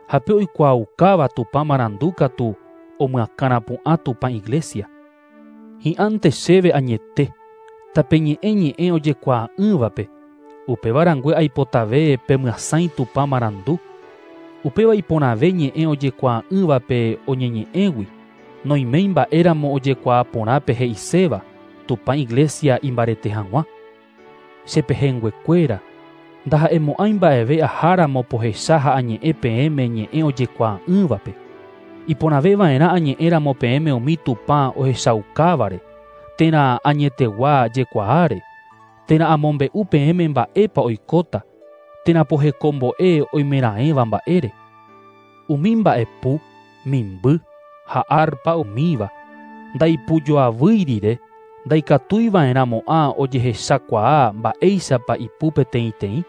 S1: ha pe oikuaaukáva Tupã marandu katu omyakãrapu'ã Tupã iglesia. Hi'ãnte chéve añete, tapeñe'ẽ ñe'ẽ ojekuaa'ỹvape, upéva rangue aipotave pemyasãi Tupã marandu. Upéva iporãve ñe'ẽ ojekuaa'ỹvape oñeñe'ẽgui, noiméi mba'éramo ojekuaa porã pe he'iséva Tupã iglesia imbarete hag̃ua. Chepehẽnguekuéra, ndaha'emo'ãi mba'eve aháramo pohecha ha añe'ẽ peẽme ñe'ẽ ojekuaa'ỹvape. Iporãveva'erã añe'ẽramo peẽme umi Tupã ohechaukávare, térã añetegua jekuaáre, térã amombe'u peẽme mba'épa oikóta, térã pohekombo'e oimeraẽva mba'ére. Umi mba'epu, mimby ha arpa umíva, ndaipujoavýi rire, ndaikatuiva'erãmo'ã ojehechakuaa mba'éichapa ipu peteĩteĩ.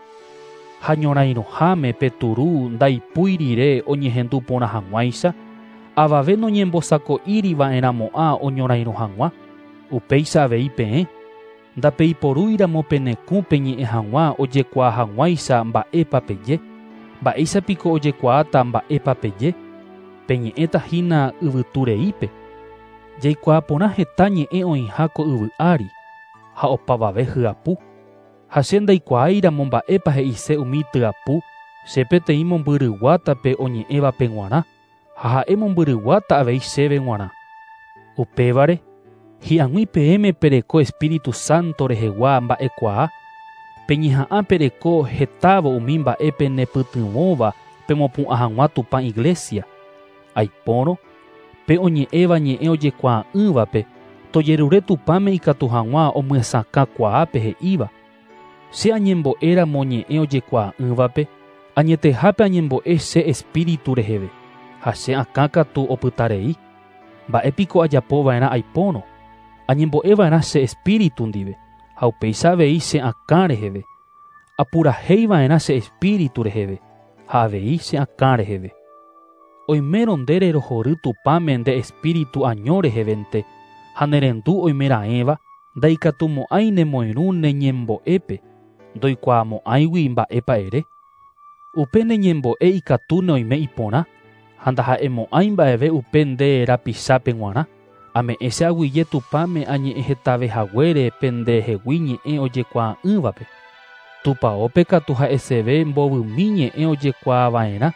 S1: Ha ñorairõháme pe turu ndaipúi rire oñehendu porã hag̃uáicha, avave noñembosako'íriva'erãmo'ã oñorairõ hag̃ua. Upéicha avei peẽ, ndapeiporúiramo penekũ peñe'ẽ hag̃ua ojekuaa hag̃uáicha mba'épa peje. Mba'éichapiko ojekuaáta mba'épa peje? Peñe'ẽta hína yvytureípe. Jaikuaa porã heta ñe'ẽ oĩha ko yvy ári ha opavave hyapu. Ha che ndaikuaáiramo mba'épa he'ise umi tyapu, che peteĩ mombyryguátape oñe'ẽvape g̃uarã, ha ha'e mombyryguáta avei chéve g̃uarã. Upévare, hi'ag̃ui peẽme pereko Espíritu Santo rehegua mba'ekuaa, peñeha'ã pereko hetávo umi mba'e penepytyvõva pemopu'ã hag̃ua Tupã iglesia. Aipórõ, pe oñe'ẽva ñe'ẽ ojekuaa'ỹvape, tojerure Tupãme ikatu hag̃ua omyesakãkuaa pe he'íva. Che añembo'éramo ñe'ẽ ojekuaa'ỹvape, añetehápe añembo'e che espíritu reheve, ha che akã katu opytarei. Mba'épiko ajapova'erã aipórõ? Añembo'eva'erã che espíritu ndive, ha upéicha avei che akã reheve. Apurahéiva'erã che espíritu reheve, ha avei che akã reheve. Oimérõ nde rerohory Tupãme nde espíritu año rehevente, ha nerendu oimeraẽva, ndaikatumo'ãi nemoirũ neñembo'épe, ndoikuaamo'ãigui mba'épa ere. Upe neñembo'e ikatúne oime iporã, ha ndaha'emo'ãi mba'eve upe nde rapichápe g̃uarã. Ame'ẽ che aguyje Tupãme añe'ẽ hetave haguére pendehegui ñe'ẽ ojekuaa'ỹvape. Tupaópe katu ha'eseve mbovymi ñe'ẽ ojekuaava'erã,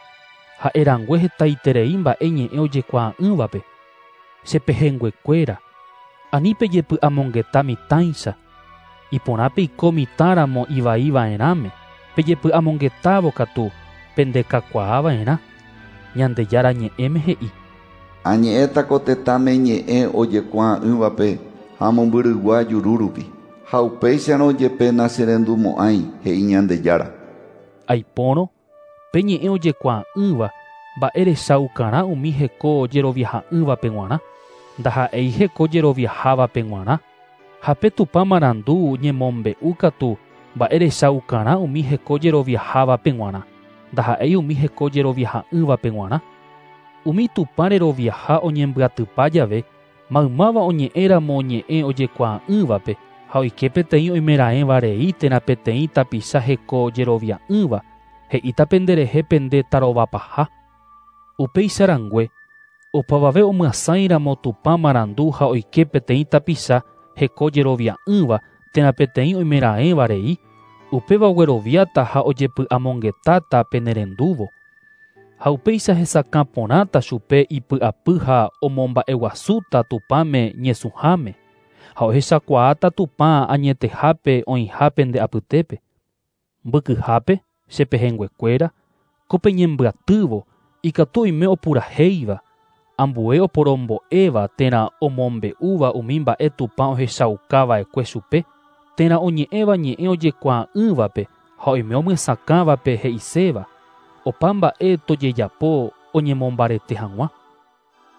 S1: ha'erangue hetaiterei mba'e ñe'ẽ ojekuaa'ỹvape. Chepehẽnguekuéra, ani pejepy'amongeta mitãicha. Iporã peiko mitãramo ivaiva'erãme, pejepy'amongetávo katu pendekakuaava'erã. Ñandejára ñe'ẽme he'i.
S2: Añe'ẽta ko tetãme ñe'ẽ ojekuaa'ỹvape ha mombyrygua juru rupi. Ha upéicharõ jepe nacherendumo'ãi, he'i Ñandejára.
S1: Aipórõ, pe ñe'ẽ ojekuaa'ỹva mba'erechaukarã umi heko jeroviaha'ỹvape g̃uarã, ndaha'éi heko jeroviahávape g̃uarã. Ha pe Tupã marandu ñemombe'u katu mba'erechaukarã umi heko jeroviahávape g̃uarã, ndaha'éi umi heko jeroviaha'ỹvape g̃uarã. Umi Tupã reroviaha oñembyatypa jave, maymáva oñe'ẽramo ñe'ẽ ojekuaa'ỹvape, Ha oike peteĩ oimeraẽva rei térã peteĩ tapicha hekojerovia'ỹva, he'íta penderehe pende tarovapaha. Upéicha rangue, opavave omyasãiramo Tupã marandu ha oike peteĩ tapicha hekojerovia'ỹva térã peteĩ oimeraẽva rei, upéva ogueroviáta ha ojepy'amongetáta penerendúvo. Ha upéicha hesakã porãta chupe ipy'apy ha omomba'eguasúta Tupãme ñesũháme, ha ohechakuaáta Tupã añetehápe oĩha pende apytépe. Mbykyhápe che pehẽnguekuéra, ko peñembyatývo ikatu oime opurahéiva, ambue oporombo'éva térã omombe'úva umi mba'e Tupã ohechaukava'ekue chupe, térã oñe'ẽva ñe'ẽ ojekuaa'ỹvape ha oime omyesakãvape he'iséva, opa mba'e tojejapo oñemombarete hag̃ua.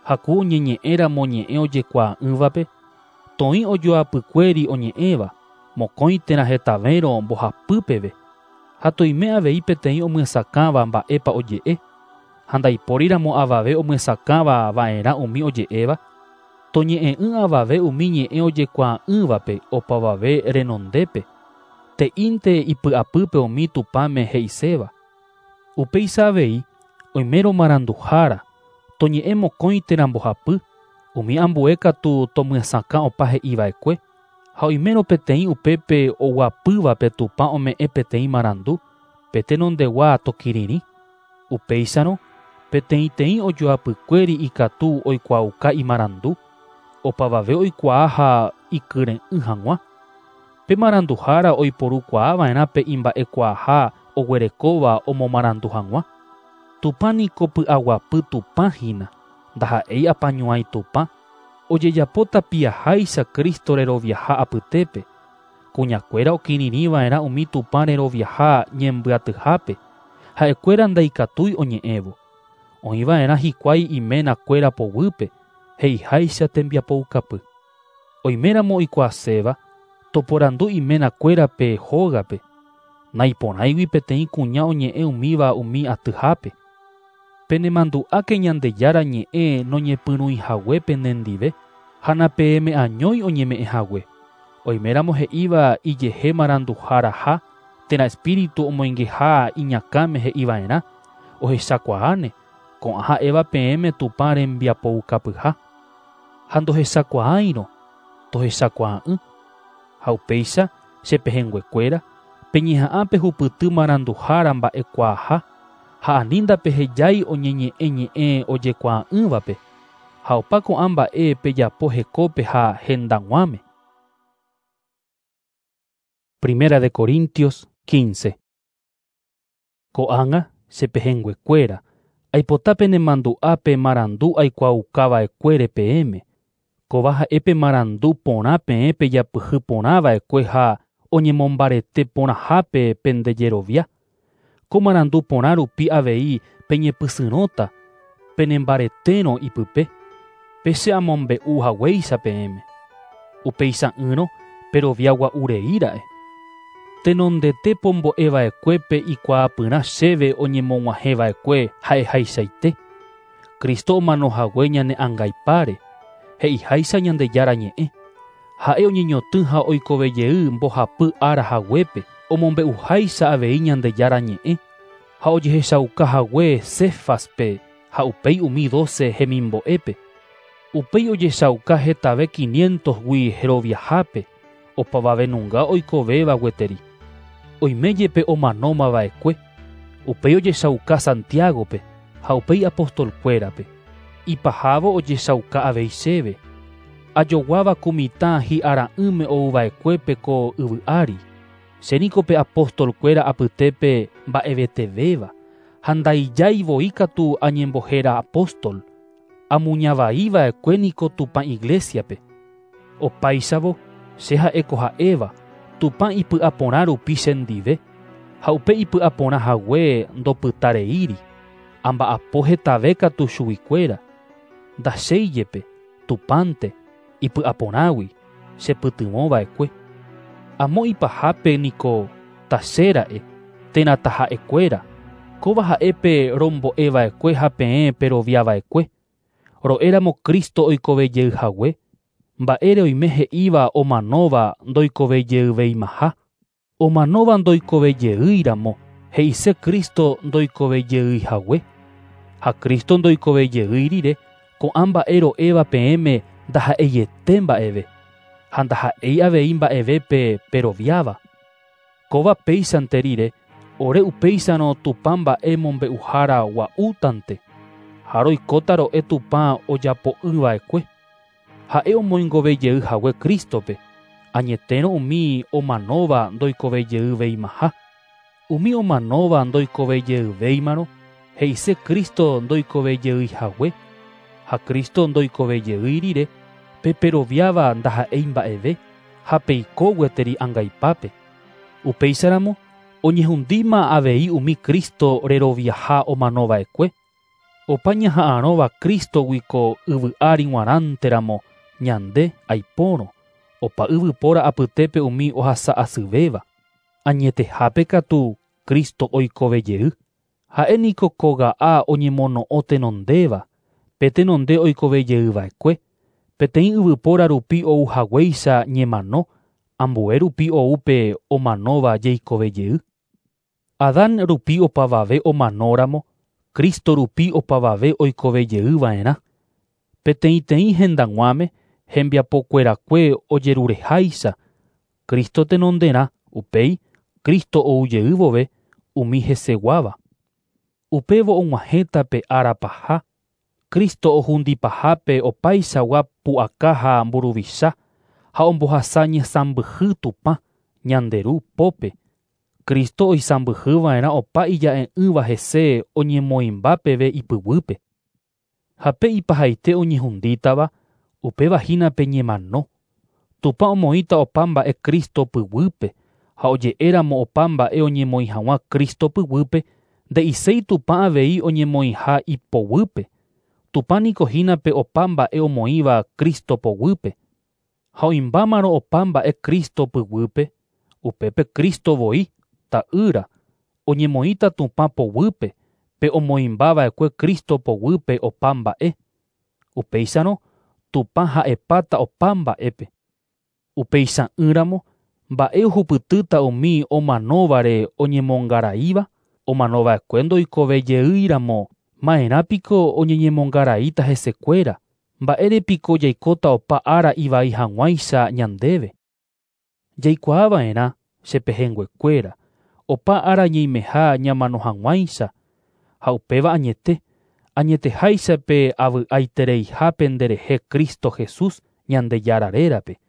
S1: Ha ku oñeñe'ẽramo ñe'ẽ ojekuaa'ỹvape, toĩ ojoapykuéri oñe'ẽva, mokõi térã hetavérõ mbohapy peve, ha toime avei peteĩ omyesakãva mba'épa oje'e, ha ndaipóriramo avave omyesakãva va'erã umi oje'éva, toñe'ẽ'ỹ avave umi ñe'ẽ ojekuaa'ỹvape opavave renondépe, te'ínte ipy'apýpe umi Tupãme he'iséva. Upéicha avei, oimérõ maranduhára, toñe'ẽ mokõi térã mbohapy, umi ambue katu tomyesakã opa he'iva'ekue, ha oimérõ peteĩ upépe oguapývape Tupã ome'ẽ peteĩ marandu, pe tenondegua tokirirĩ. Upéicharõ, peteĩteĩ ojoapykuéri ikatu oikuaauka imarandu, opavave oikuaa ha ikyre'ỹ hag̃ua. Pe maranduhára oiporukuaava'erã pe imba'ekuaaha oguerekóva omomarandu hag̃ua. Tupã niko py'aguapy Tupã hína, ndaha'éi apañuãi Tupã, ojejapo tapiaháicha Cristo reroviaha apytépe. Kuñakuéra okirirĩva'erã umi Tupã reroviaha ñembyatyhápe, ha'ekuéra ndaikatúi oñe'ẽvo. Oĩva'erã hikuái iménakuéra poguýpe, he'iháicha tembiapoukapy. Oiméramo oikuaaséva, toporandu iménakuérape hógape, naiporãigui peteĩ kuña oñe'ẽ umíva umi atyhápe. Penemandu'áke Ñandejára ñe'ẽ noñepyrũihague penendive, ha napeẽme añói oñeme'ẽhague. Oiméramo he'íva ijehe maranduharaha térã espíritu omoingeha iñakãme he'iva'erã, ohechakuaáne, ko'ã ha'éva peẽme Tupã rembiapoukapyha. Ha ndohechakuaáirõ, tohechakuaa'ỹ. Ha upéicha che pehẽnguekuéra, peñeha'ã pehupyty maranduhára mba'ekuaaha, ha ani ndapehejái oñeñe'ẽ ñe'ẽ ojekuaa'ỹvape, ha opa ko'ã mba'e pejapo hekópe ha hendag̃uáme. Primera de Corintios 15. Ko'ág̃a che pehẽnguekuéra, aipota penemandu'ápe marandu aikuaaukava'ekuére peẽme. Kóva ha'e pe marandu porã peẽ pejapyhy porãva'ekue ha oñemombarete porãhápe pendejerovia. Ko marandu porã rupi avei peñepysyrõta, penembaretérõ ipype, pe che amombe'u haguéicha peẽme. Upeicha'ỹrõ perovia gua'urei ra'e. Tenondete pombo'eva'ekuépe ikuaapyrã chéve oñemog̃uahẽva'ekue ha'ehaichaite. Cristo omanohague ñane angaipáre, he'iháicha Ñandejára ñe'ẽ. Ha'e oñeñotỹ ha oikovejey mbohapy ára haguépe, omombe'uháicha avei Ñandejára ñe'ẽ, ha ojehechaukahague Cefaspe ha upéi umi 12 hemimbo'épe. Upéi ojechauka hetave 500-gui heroviahápe, opavavenunga oikovéva gueteri. Oime jepe omanómava'ekue, upéi ojechauka Santiagope ha upéi apostolkuérape. Ipahávo ojechauka avei chéve. Ajoguáva ku mitã hi'ara'ỹme ouva'ekuépe ko yvy ári. Che niko pe apostolkuéra apytépe mba'evetevéva, ha ndaijái voi katu añembohéra apóstol. Amuñavaiva'ekue niko Tupã iglesiape. Opáichavo, che ha'éko ha'éva, Tupã ipy'aporã rupi chendive, ha upe ipy'aporã hague ndopytareíri. Amba'apo hetave katu chuguikuéra. Ndachéi jepe, Tupãnte, ipy'aporãgui, chepytyvõva'ekue. Amo ipahápe niko tachéra'e, térã taha'ekuéra, kóva ha'épe rombo'eva'ekue ha peẽ peroviava'ekue. Ro'éramo Cristo oikovejeyhague, Mba'ére oime he'íva omanóva ndoikovejeyveimaha. Omanóva ndoikovejeýiramo, he'ise Cristo ndoikovejeyhague. Ha Cristo ndoikovejeýi rire, ko'ã mba'e ro'éva peẽme ndaha'eiete mba'eve, ha ndaha'éi avei mba'evépe peroviáva. Kóva péichante rire, ore upéicharõ Tupã mba'e mombe'uhára gua'útante, ha roikóta ro'e Tupã ojapo'ỹva'ekue. Ha'e omoingovejeyhague Crístope, añetérõ umi omanóva ndoikovejeyveimaha. Umi omanóva ndoikovejeyvéimarõ, he'ise Cristo ndoikovejeyhague, ha Cristo ndoikovejey rire, pe peroviáva ndaha'éi mba'eve, ha peiko gueteri angaipápe. Upéicharamo, oñehundíma avei umi Cristo reroviaha omanova'ekue. Opa ñaha'arõva Cristogui ko yvy ári g̃uarãnteramo ñande aipórõ, opa yvypóra apytépe umi ohasa'asyvéva. Añetehápe katu Cristo oikovejey. Ha'e niko kóga'a oñemono'õ tenondéva, pe tenonde oikovejeyva'ekue, peteĩ yvypóra rupi ouhaguéicha ñemano, ambue rupi ou pe omanóva jeikovejey. Adán rupi opavave omanóramo, Cristo rupi opavave oikovejeyva'erã. Peteĩteĩ hendag̃uáme hembiapokuerakue ojerureháicha, Cristo tenonderã, upéi Cristo oujey vove umi heseguáva. Upévo og̃uahẽta pe ára paha, Cristo ohundipahápe opaichagua pu'aka ha mburuvicha ha ombohasa ñesãmbyhy Tupã, ñande Ru pópe. Cristo oisãmbyhyva'erã opa ija'e'ỹva hese oñemoĩmba peve ipyguýpe. Ha pe ipahaite oñehundítava, upéva hína pe ñemano. Tupã omoĩta opa mba'e Cristo pyguýpe, ha oje'éramo opa mba'e oñemoĩ hag̃ua Cristo pyguýpe, nde'iséi Tupã avei oñemoĩha ipoguýpe. Tupã niko hína pe opa mba'e omoĩva Cristo poguýpe. Ha oĩmbámarõ opa mba'e Cristo pyguýpe, upépe Cristo voi, ta'ýra, oñemoĩta Tupã poguýpe, pe omoĩmbava'ekue Cristo poguýpe opa mba'e. Upéicharõ, Tupã ha'epáta opa mba'épe. Upeicha'ỹramo, mba'e ohupytýta umi omanóvare oñemongaraíva, omanova'ekue ndoikovejeýiramo, ma'erãpiko oñeñemongaraíta hesekuéra, mba'érepiko jaikóta opa ára ivai hag̃uáicha ñandéve. Jaikuaava'erã che pehẽnguekuéra, opa ára ñeimeha ñamano hag̃uáicha, ha upéva añete, añeteháicha pe avy'aitereiha penderehe Cristo Jesús Ñandejára rérape.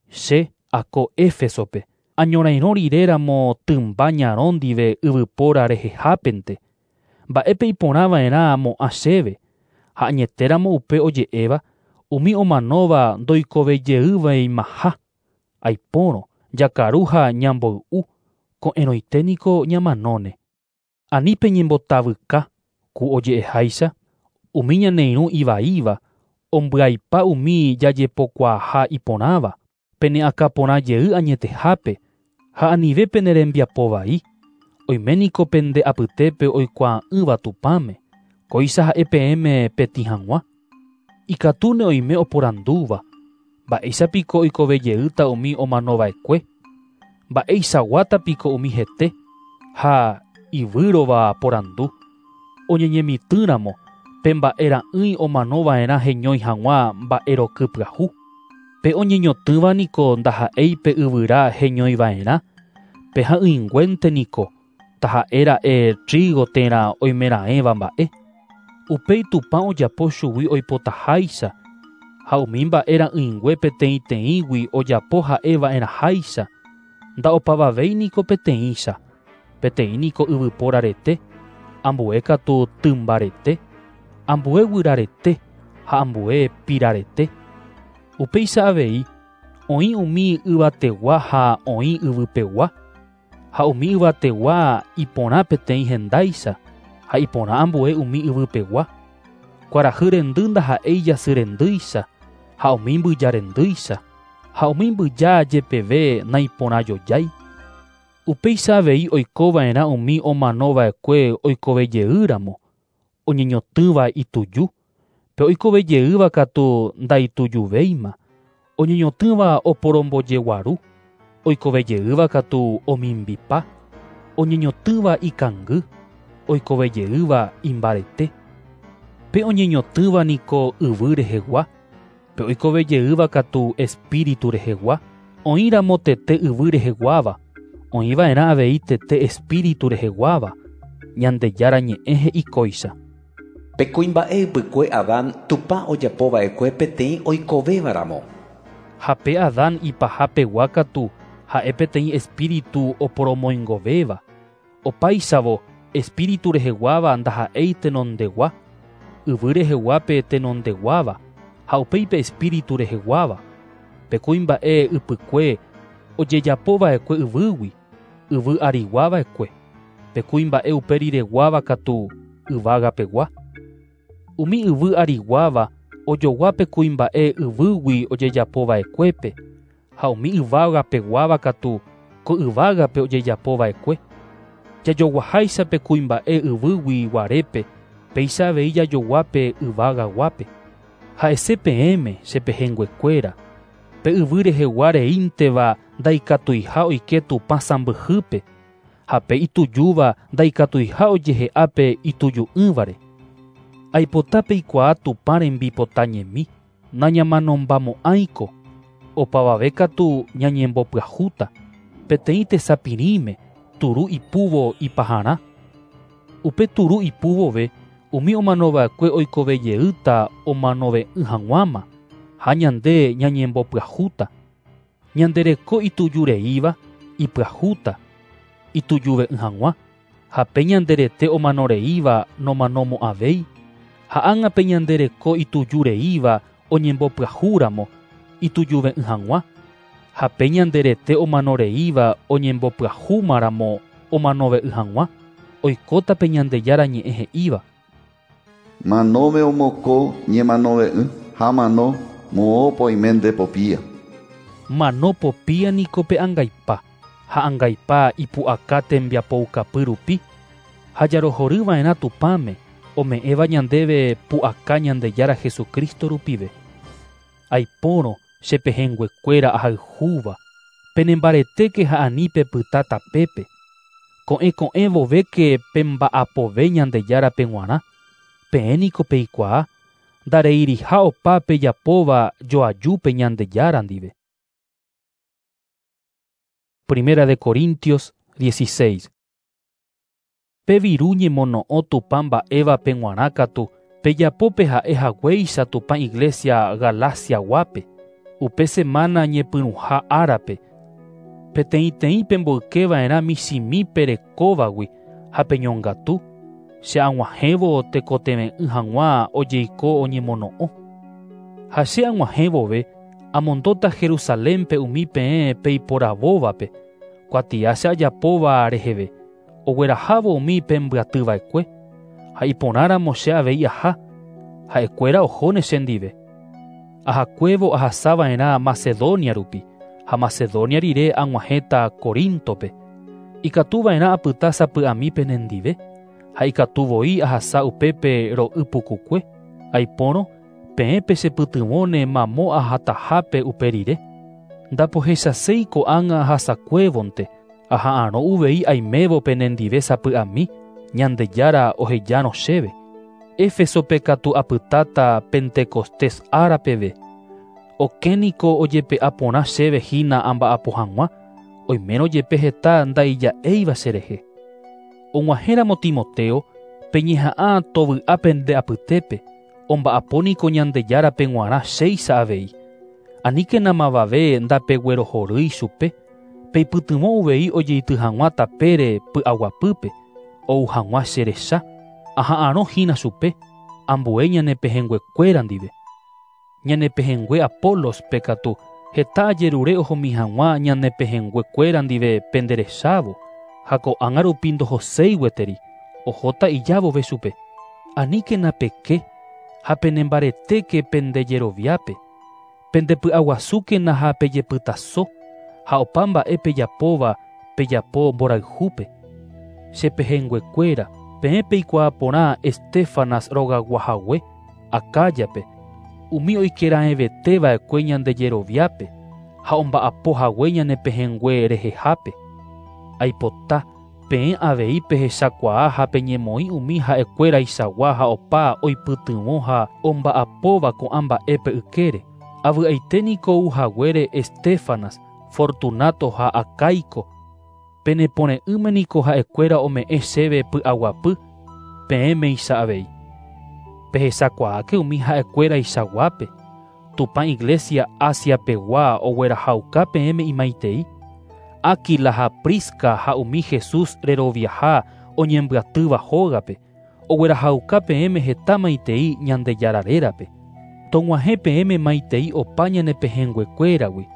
S1: Che ako Éfesope, añorairõ riréramo tymba ñarõ ndive yvypóra rehehápente, mba'épe iporãva'erã mo'ã chéve, ha añetéramo upe oje'éva, umi omanóva ndoikovejeyveimaha. Aipórõ, jakaru ha ñamboy'u, ko'ẽrõite niko ñamanóne. Ani peñembotavyka, ku oje'eháicha, umi ñane irũ ivaíva, ombyaipa umi jajepokuaaha iporãva, pene akãporãjey añetehápe, ha anive pene rembiapo vai, oime niko pende apytépe oikuaa'ỹva Tupãme, kóicha ha'e peẽme petĩ hag̃ua. Ikatúne oime oporandúva, mba'éichapiko oikovejeýta umi omanova'ekue, mba'eichaguátapiko umi hete, ha ivýrova porandu. Oñeñemitỹramo, pe mba'e ra'ỹi omanova'erã heñói hag̃ua mba'eroky pyahu. Pe oñeñotỹva niko ndaha'éi pe yvyra heñoiva'erã, pe ha'ỹinguénte niko, taha'éra'e trigo térã oimeraẽva mba'e. Upéi Tupã ojapo chugui oipotaháicha, ha umi mba'e ra'ỹingue peteĩteĩgui ojapo ha'eva'erãháicha, nda'opavavéi niko peteĩcha, peteĩ niko yvypóra rete, ambue katu tymba rete, ambue guyra rete ha ambue pira rete. Upéicha avei, oĩ umi yvategua ha oĩ yvypegua, ha umi yvategua iporã peteĩ hendáicha, ha iporã ambue umi yvypegua. Kuarahy rendy ndaha'éi jasy rendýicha, ha umi mbyja rendýicha, ha umi mbyja jepeve naiporãjojái. Upéicha avei oikova'erã umi omanova'ekue oikovejeýramo, oñeñotỹva ituju, pe oikovejeýva katu ndaitujuvéima, Oñeñotỹva oporombojeguaru, oikovejeýva katu omimbipa, oñeñotỹva ikangy, oikovejeýva imbarete. Pe oñeñotỹva niko yvy rehegua, pe oikovejeýva katu espíritu rehegua, oĩramo tete yvy reheguáva, oĩva'erã avei tete espíritu reheguáva, Ñandejára ñe'ẽ he'i kóicha.
S4: Pe kuimba'e ypykue Adán Tupã ojapova'ekue peteĩ oikovévaramo.
S1: Ha pe Adán ipahapegua katu ha'e peteĩ espíritu oporomoingovéva. Opáichavo espíritu reheguáva ndaha'éi tenondegua, yvy reheguápe tenondeguáva, ha upéi pe espíritu reheguáva. Pe kuimba'e ypykue ojejapova'ekue yvýgui, yvy ariguava'ekue. Pe kuimba'e upe rireguáva katu yvágapegua. Umi yvy ariguáva ojogua pe kuimba'e yvýgui ojejapova'ekuépe, ha umi yvágapeguáva katu ko yvágape ojejapova'ekue. Jajoguaháicha pe kuimba'e yvýgui guarépe, péicha avei jajoguápe yvagaguápe. Ha'ese peẽme che pehẽnguekuéra, pe yvy rehegua reínteva ndaikatuiha oike Tupã sãmbyhýpe, ha pe itujúva ndaikatuiha ojehe'ápe ituju'ỹvare. Aipota peikuaa Tupã rembipota ñemi, nañamanombamo'ãiko, opavave katu ñañembopyahúta, peteĩ tesapirĩme turu ipúvo ipaharã. Upe turu ipúvove umi omanova'ekue oikovejeýta omanove'ỹ hag̃uáma, ha ñande ñañembopyahúta. Ñandereko itujureíva ipyahúta, itujuve'ỹ hag̃ua, ha pe ñanderete omanoreíva nomanomo'ãvéi, ha ág̃a pe ñandereko itujureíva oñembopyahúramo itujuve'ỹ hag̃ua, ha pe ñanderete omanoreíva oñembopyahúmaramo omanove'ỹ hag̃ua, oikóta pe Ñandejára ñe'ẽ he'íva.
S2: Manóme omoko ñemanove'ỹ ha mano moõpa oime nde popía.
S1: Mano popía niko pe angaipa, ha angaipa ipu'aka tembiapoukapy rupi, ha jarohoryva'erã Tupãme ome'ẽva ñandéve pu'aka Ñandejára Jesucristo rupive. Aipórõ che pehẽnguekuéra ahayhúva, penembaretéke ha ani pepyta tapépe. Ko'ẽ ko'ẽ vovéke pemba'apove Ñandejárape g̃uarã, peẽ niko peikuaa, ndareiriha opa pejapóva joajúpe Ñandejára ndive. Primera de Corintios 16. Pe viru ñemono'õ Tupã mba'évape g̃uarã katu pejapópe ha'e haguéicha Tupã iglesia Galaciaguápe, upe semana ñepyrũha árape, peteĩteĩ pemboykeva'erã michĩmi perekóvagui ha peñongatu, che ag̃uahẽvo tekotevẽ'ỹ hag̃ua ojeiko oñemono'õ. Ha che ag̃uahẽvove amondóta Jerusalénpe umi peẽ peiporavóvape, kuatia che ajapóva reheve, oguerahávo umi pembyatyva'ekue, ha iporãramo che avei aha, ha'ekuéra ohóne chendive. Ahakuévo ahasava'erã Macedonia rupi, ha Macedonia rire ag̃uahẽta Corintope. Ikatuva'erã apyta sapy'ami penendive, ha ikatu voi ahasa upépe ro'y pukukue, aipórõ peẽ pechepytyvõne mamo ahatahápe upe rire. Ndapohechaséi ko'ág̃a ahasakuévonte, aha'arõ uvei aimévo penendive sapy'ami, Ñandejára ohejárõ chéve. Éfesope katu apytáta Pentecostés ára peve. Okẽ niko ojepe'a porã chéve hína amba'apo hag̃ua, oimérõ jepe heta ndaija'éiva cherehe. Og̃uahẽramo Timoteo, peñeha'ã tovy'a pende apytépe, omba'apo niko Ñandejárape g̃uarã chéicha avei. Aníkena mavave ndapeguerohorýi chupe, peipytyvõ uvei ojeity hag̃ua tapére py'aguapýpe, ou hag̃ua cherecha, aha'arõ hína chupe, ambue ñanepehẽnguekuéra ndive. Ñanepehẽngue Apolospe katu heta ajerure ohomi hag̃ua ñanepehẽnguekuéra ndive penderechávo, ha ko'ág̃a rupi ndohoséi gueteri, ohóta ijávove chupe. Aníkena peke ha penembaretéke pendejeroviápe, pendepy'aguasúkena ha pejepytaso, ha opa mba'e pejapóva pejapo mborayhúpe. Che pehẽnguekuéra, peẽ peikuaa porã Estéfanas rogaguahague, Acáyape, umi oikeraẽveteva'ekue ñande jeroviápe ha omba'apohague ñane pehẽngue rehehápe. Aipota peẽ avei pehechakuaa ha peñemoĩ umi ha'ekuéraichagua ha opa oipytyvõ ha omba'apóva ko'ã mba'épe ykére. Avy'aite niko ouhaguére Estéfanas, Fortunato ha Acaico. Penepore'ỹme niko ha'ekuéra ome'ẽ chéve py'aguapy peẽmeicha avei. Pehechakuaáke umi ha'ekuéraichaguápe. Tupã Iglesia Asiapegua oguerahauka peẽme imaitei. Áquila ha Prisca ha umi Jesús reroviaha oñembyatýva hógape oguerahauka peẽme heta maitei Ñandejára rérape. Tog̃uahẽ peẽme maitei opa ñane pehẽnguekuéragui.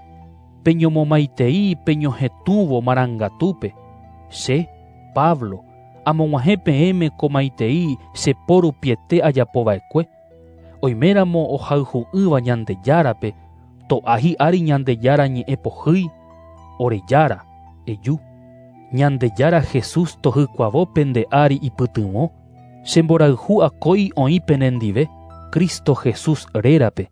S1: Peñomomaitei peñohetũvo marangatúpe. Che, Pablo, amog̃uahẽ peẽme ko maitei che po rupiete ajapova'ekue. Oiméramo ohayhu'ỹva Ñandejárape, to'a hi'ári Ñandejára ñe'ẽ pohýi, ore Jára, eju. Ñandejára Jesús tohykuavo pende ári ipytyvõ, che mborayhu akói oĩ penendive, Cristo Jesús rérape.